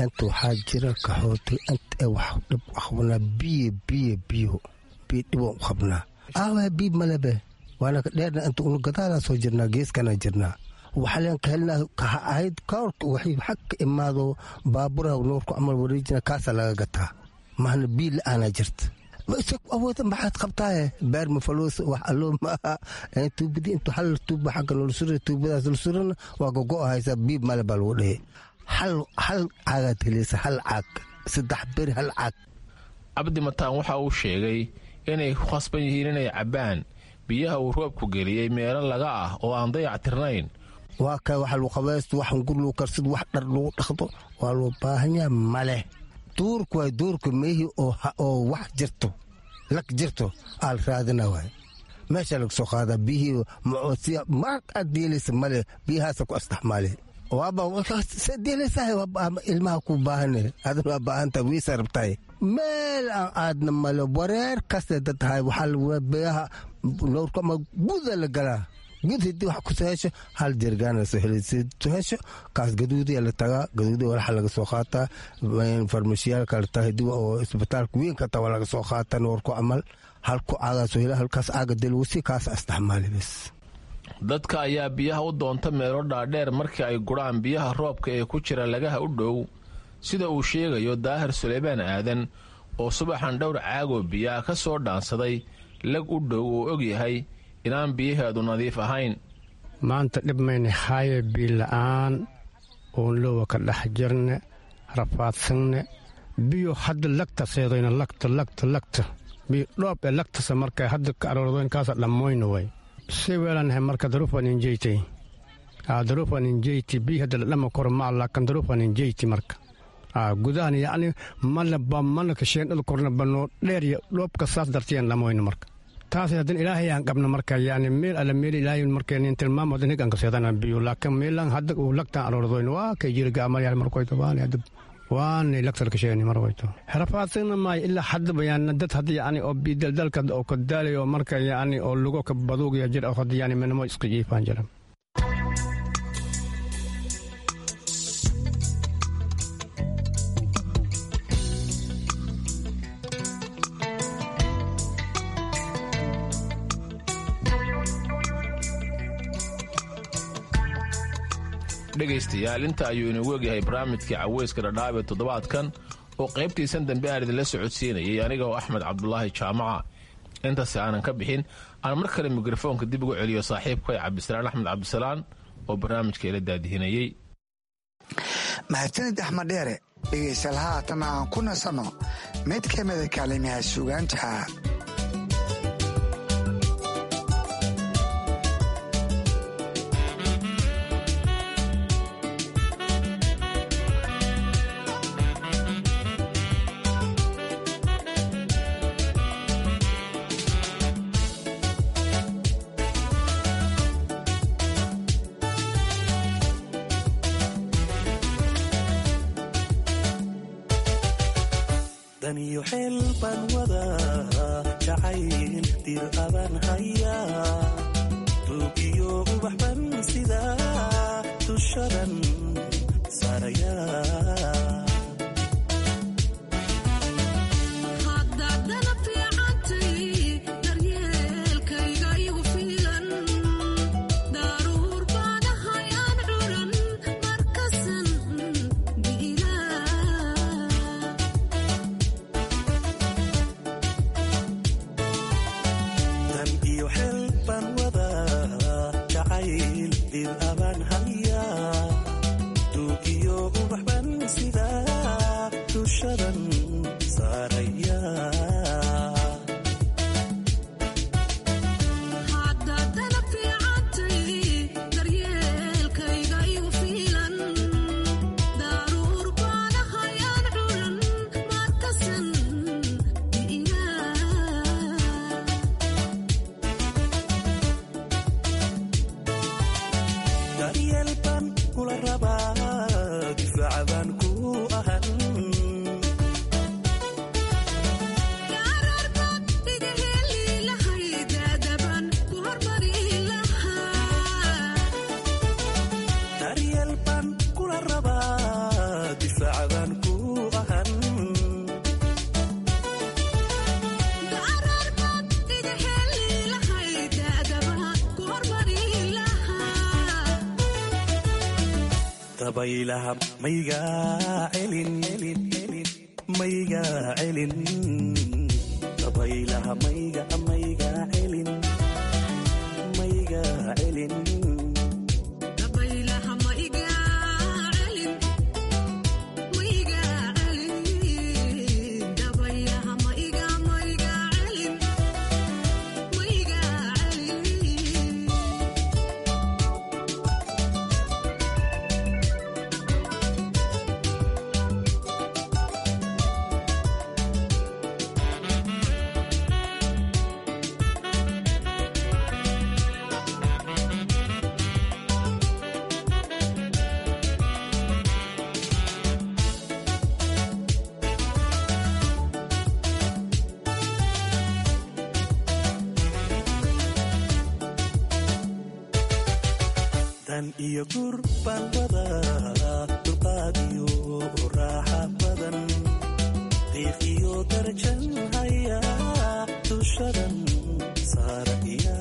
Inta waxaa jira qaxooti inta wax dhib qabnaa, biyo biyo biyo biyo dhibaan u qabnaa. Aawa biyo malebe waana ka dheerna, inta unu gadaalaan soo jirnaa, geeskana jirnaa, waxaleen ka helnaa ahayd koorka waxay xag ka imaado baaburaha nuurku camal wareejina, kaasaa laga gataa. Mahna biyo la'aanaa jirta. Awooda maxaad qabtaaye? Beer ma faluus, wax alloo maaha. Tuubadii intu hal tuuba xagga noola sura, tuubadaas la surana waa gogo haysaa, biib male baa lagu dhehe. Hal hal caagaad helaysa, hal caag saddex beri, hal caag. Cabdi Mataan waxa uu sheegay inay ku khasban yihiin inay cabbaan biyaha uu roobku geliyey meelo laga ah oo aan dayac tirnayn. Waa ka wax lagu qabaysto, wax hungur lagu karsado, wax dhar lagu dhaqdo waa loo baahanyaa male. Duurku waay duurka meehii oo wax jirto lag jirto aal raadina waay, meeshaa laga soo qaadaa biyihii macoodsiya mar aad deelaysa male, biyahaasa ku astaxmaale. Waaba deelaysahay, ilmaha ku baahane, adana waa baahanta, wiisa rabtahay, meel aan aadna male. Wareer kasta dad tahay, waxaa biyaha noorku ama guda la galaa, gud hadii wax kusoo hesho hal jirgaana soo soo hesho, kaas gaduudiya la tagaa, gaduudiya walaxa laga soo qaataa, farmashiyaalka la tagaa, hadii oo isbitaalka weyn ka taa waa laga soo qaataa noorku camal, halku caagaa soo hela, halkaas caaga delwasi kaas isticmaali bas. Dadka ayaa biyaha u doonta meelo dhaadheer markii ay guraan biyaha roobka ee ku jira lagaha u dhow, sida uu sheegayo Daahir Suleymaan Aadan oo subaxan dhowr caagoo biyaha ka soo dhaansaday lag u dhow oo og yahay inaan biyaheedu nadiif ahayn. Maanta dhib mayna haaye, biyo la'aan oon lowa ka dhex jirne, rafaadsanne. Biyo hadda lagta seedoyna, lagta lagta lagta biyo dhoob ee lagtasa markay hadda ka aroordoyn kaasa dhammoyna way si weelanahay. Marka daruufan injeytay, daruufan injeyti, biyo hadda la dhama koro ma laakan daruufan injeyti. Marka gudahan yacni mana ba mana kasheen dhul korna banoo dheer iyo dhoobka saas dartiyan dhammoyna. Marka taas haddana Ilaahay aan qabno, marka yani meel alla meel Ilaahay marka nin tilmaamo haddana higan ka seedana biyo, laakiin meelan hadda uu lagtaan aroordoyn waa kay jira gaamayaal markoyto waan hadda waanay lagtar ka sheegni marwayto rafaadsan maay ilaa hadda bayaan dad hadda yani oo bidaldalka oo ka daalayo, marka yani oo lugo ka baduugaya jir oo hadda yani menamo isqa jiifaan jira. Dhegaystayaal, inta ayuu inoogu egyahay barnaamijkii caweyska Dhadhaab ee toddobaadkan oo qaybtiisan dambe aan idinla socodsiinayay aniga oo Axmed Cabdulaahi Jaamaca. Intaasi aanan ka bixin, aan mar kale mikrofoonka dib ugu celiyo saaxiibkay Cabdisalaan Axmed Cabdisalaan oo barnaamijka ila daadihinayey. Mahadsanid Axmed Dheere. Dhegaystayaal, haatan aan ku nasanno mid ka mida kaalimaha suugaanta. Daniyo xeel baan wadaa, jacayl dir abaan hayaa, duugiyo ubax ban sidaa dushadan saarayaa. Dan iyo xeel baan wadaa, jacayl dir abaan hayaa, duugiyo ubax ban sidaa dushadan saarayaa. Daryeel baan kula rabaa, difaaca baan ku ahan. Daryeel baan kula rabaa, difaaca baan ku ahan. Dabaylaha mayga celin, mayga celin. Dabaylaha mayga, mayga celin, mayga celin. Dan iyo gur baan wadaa, dulqaad iyo raaxa badan, qiiq iyo darajan hayaa, dushadan saaraya.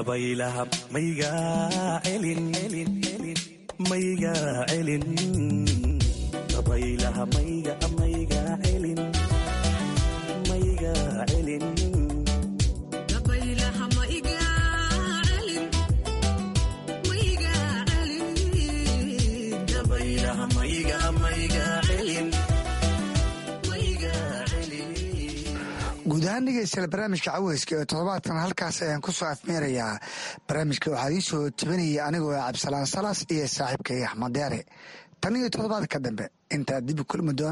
Dabaylaha mayga celin, mayga celin, dabaylaha mayga mayga celin, mayga celin. Dabaylaha mayga mayga celin, mayga celin. Guud ahaan dhegeystayaal, barnaamijka caweyska ee toddobaadkan halkaas ayaan ku soo afmeerayaa. Barnaamijka waxaa idiin soo tebinaya anigoo Cabdisalaan Salas iyo saaxiibkay Axmed Deere. Tan iyo toddobaadka dambe intaa dib kulmi doona.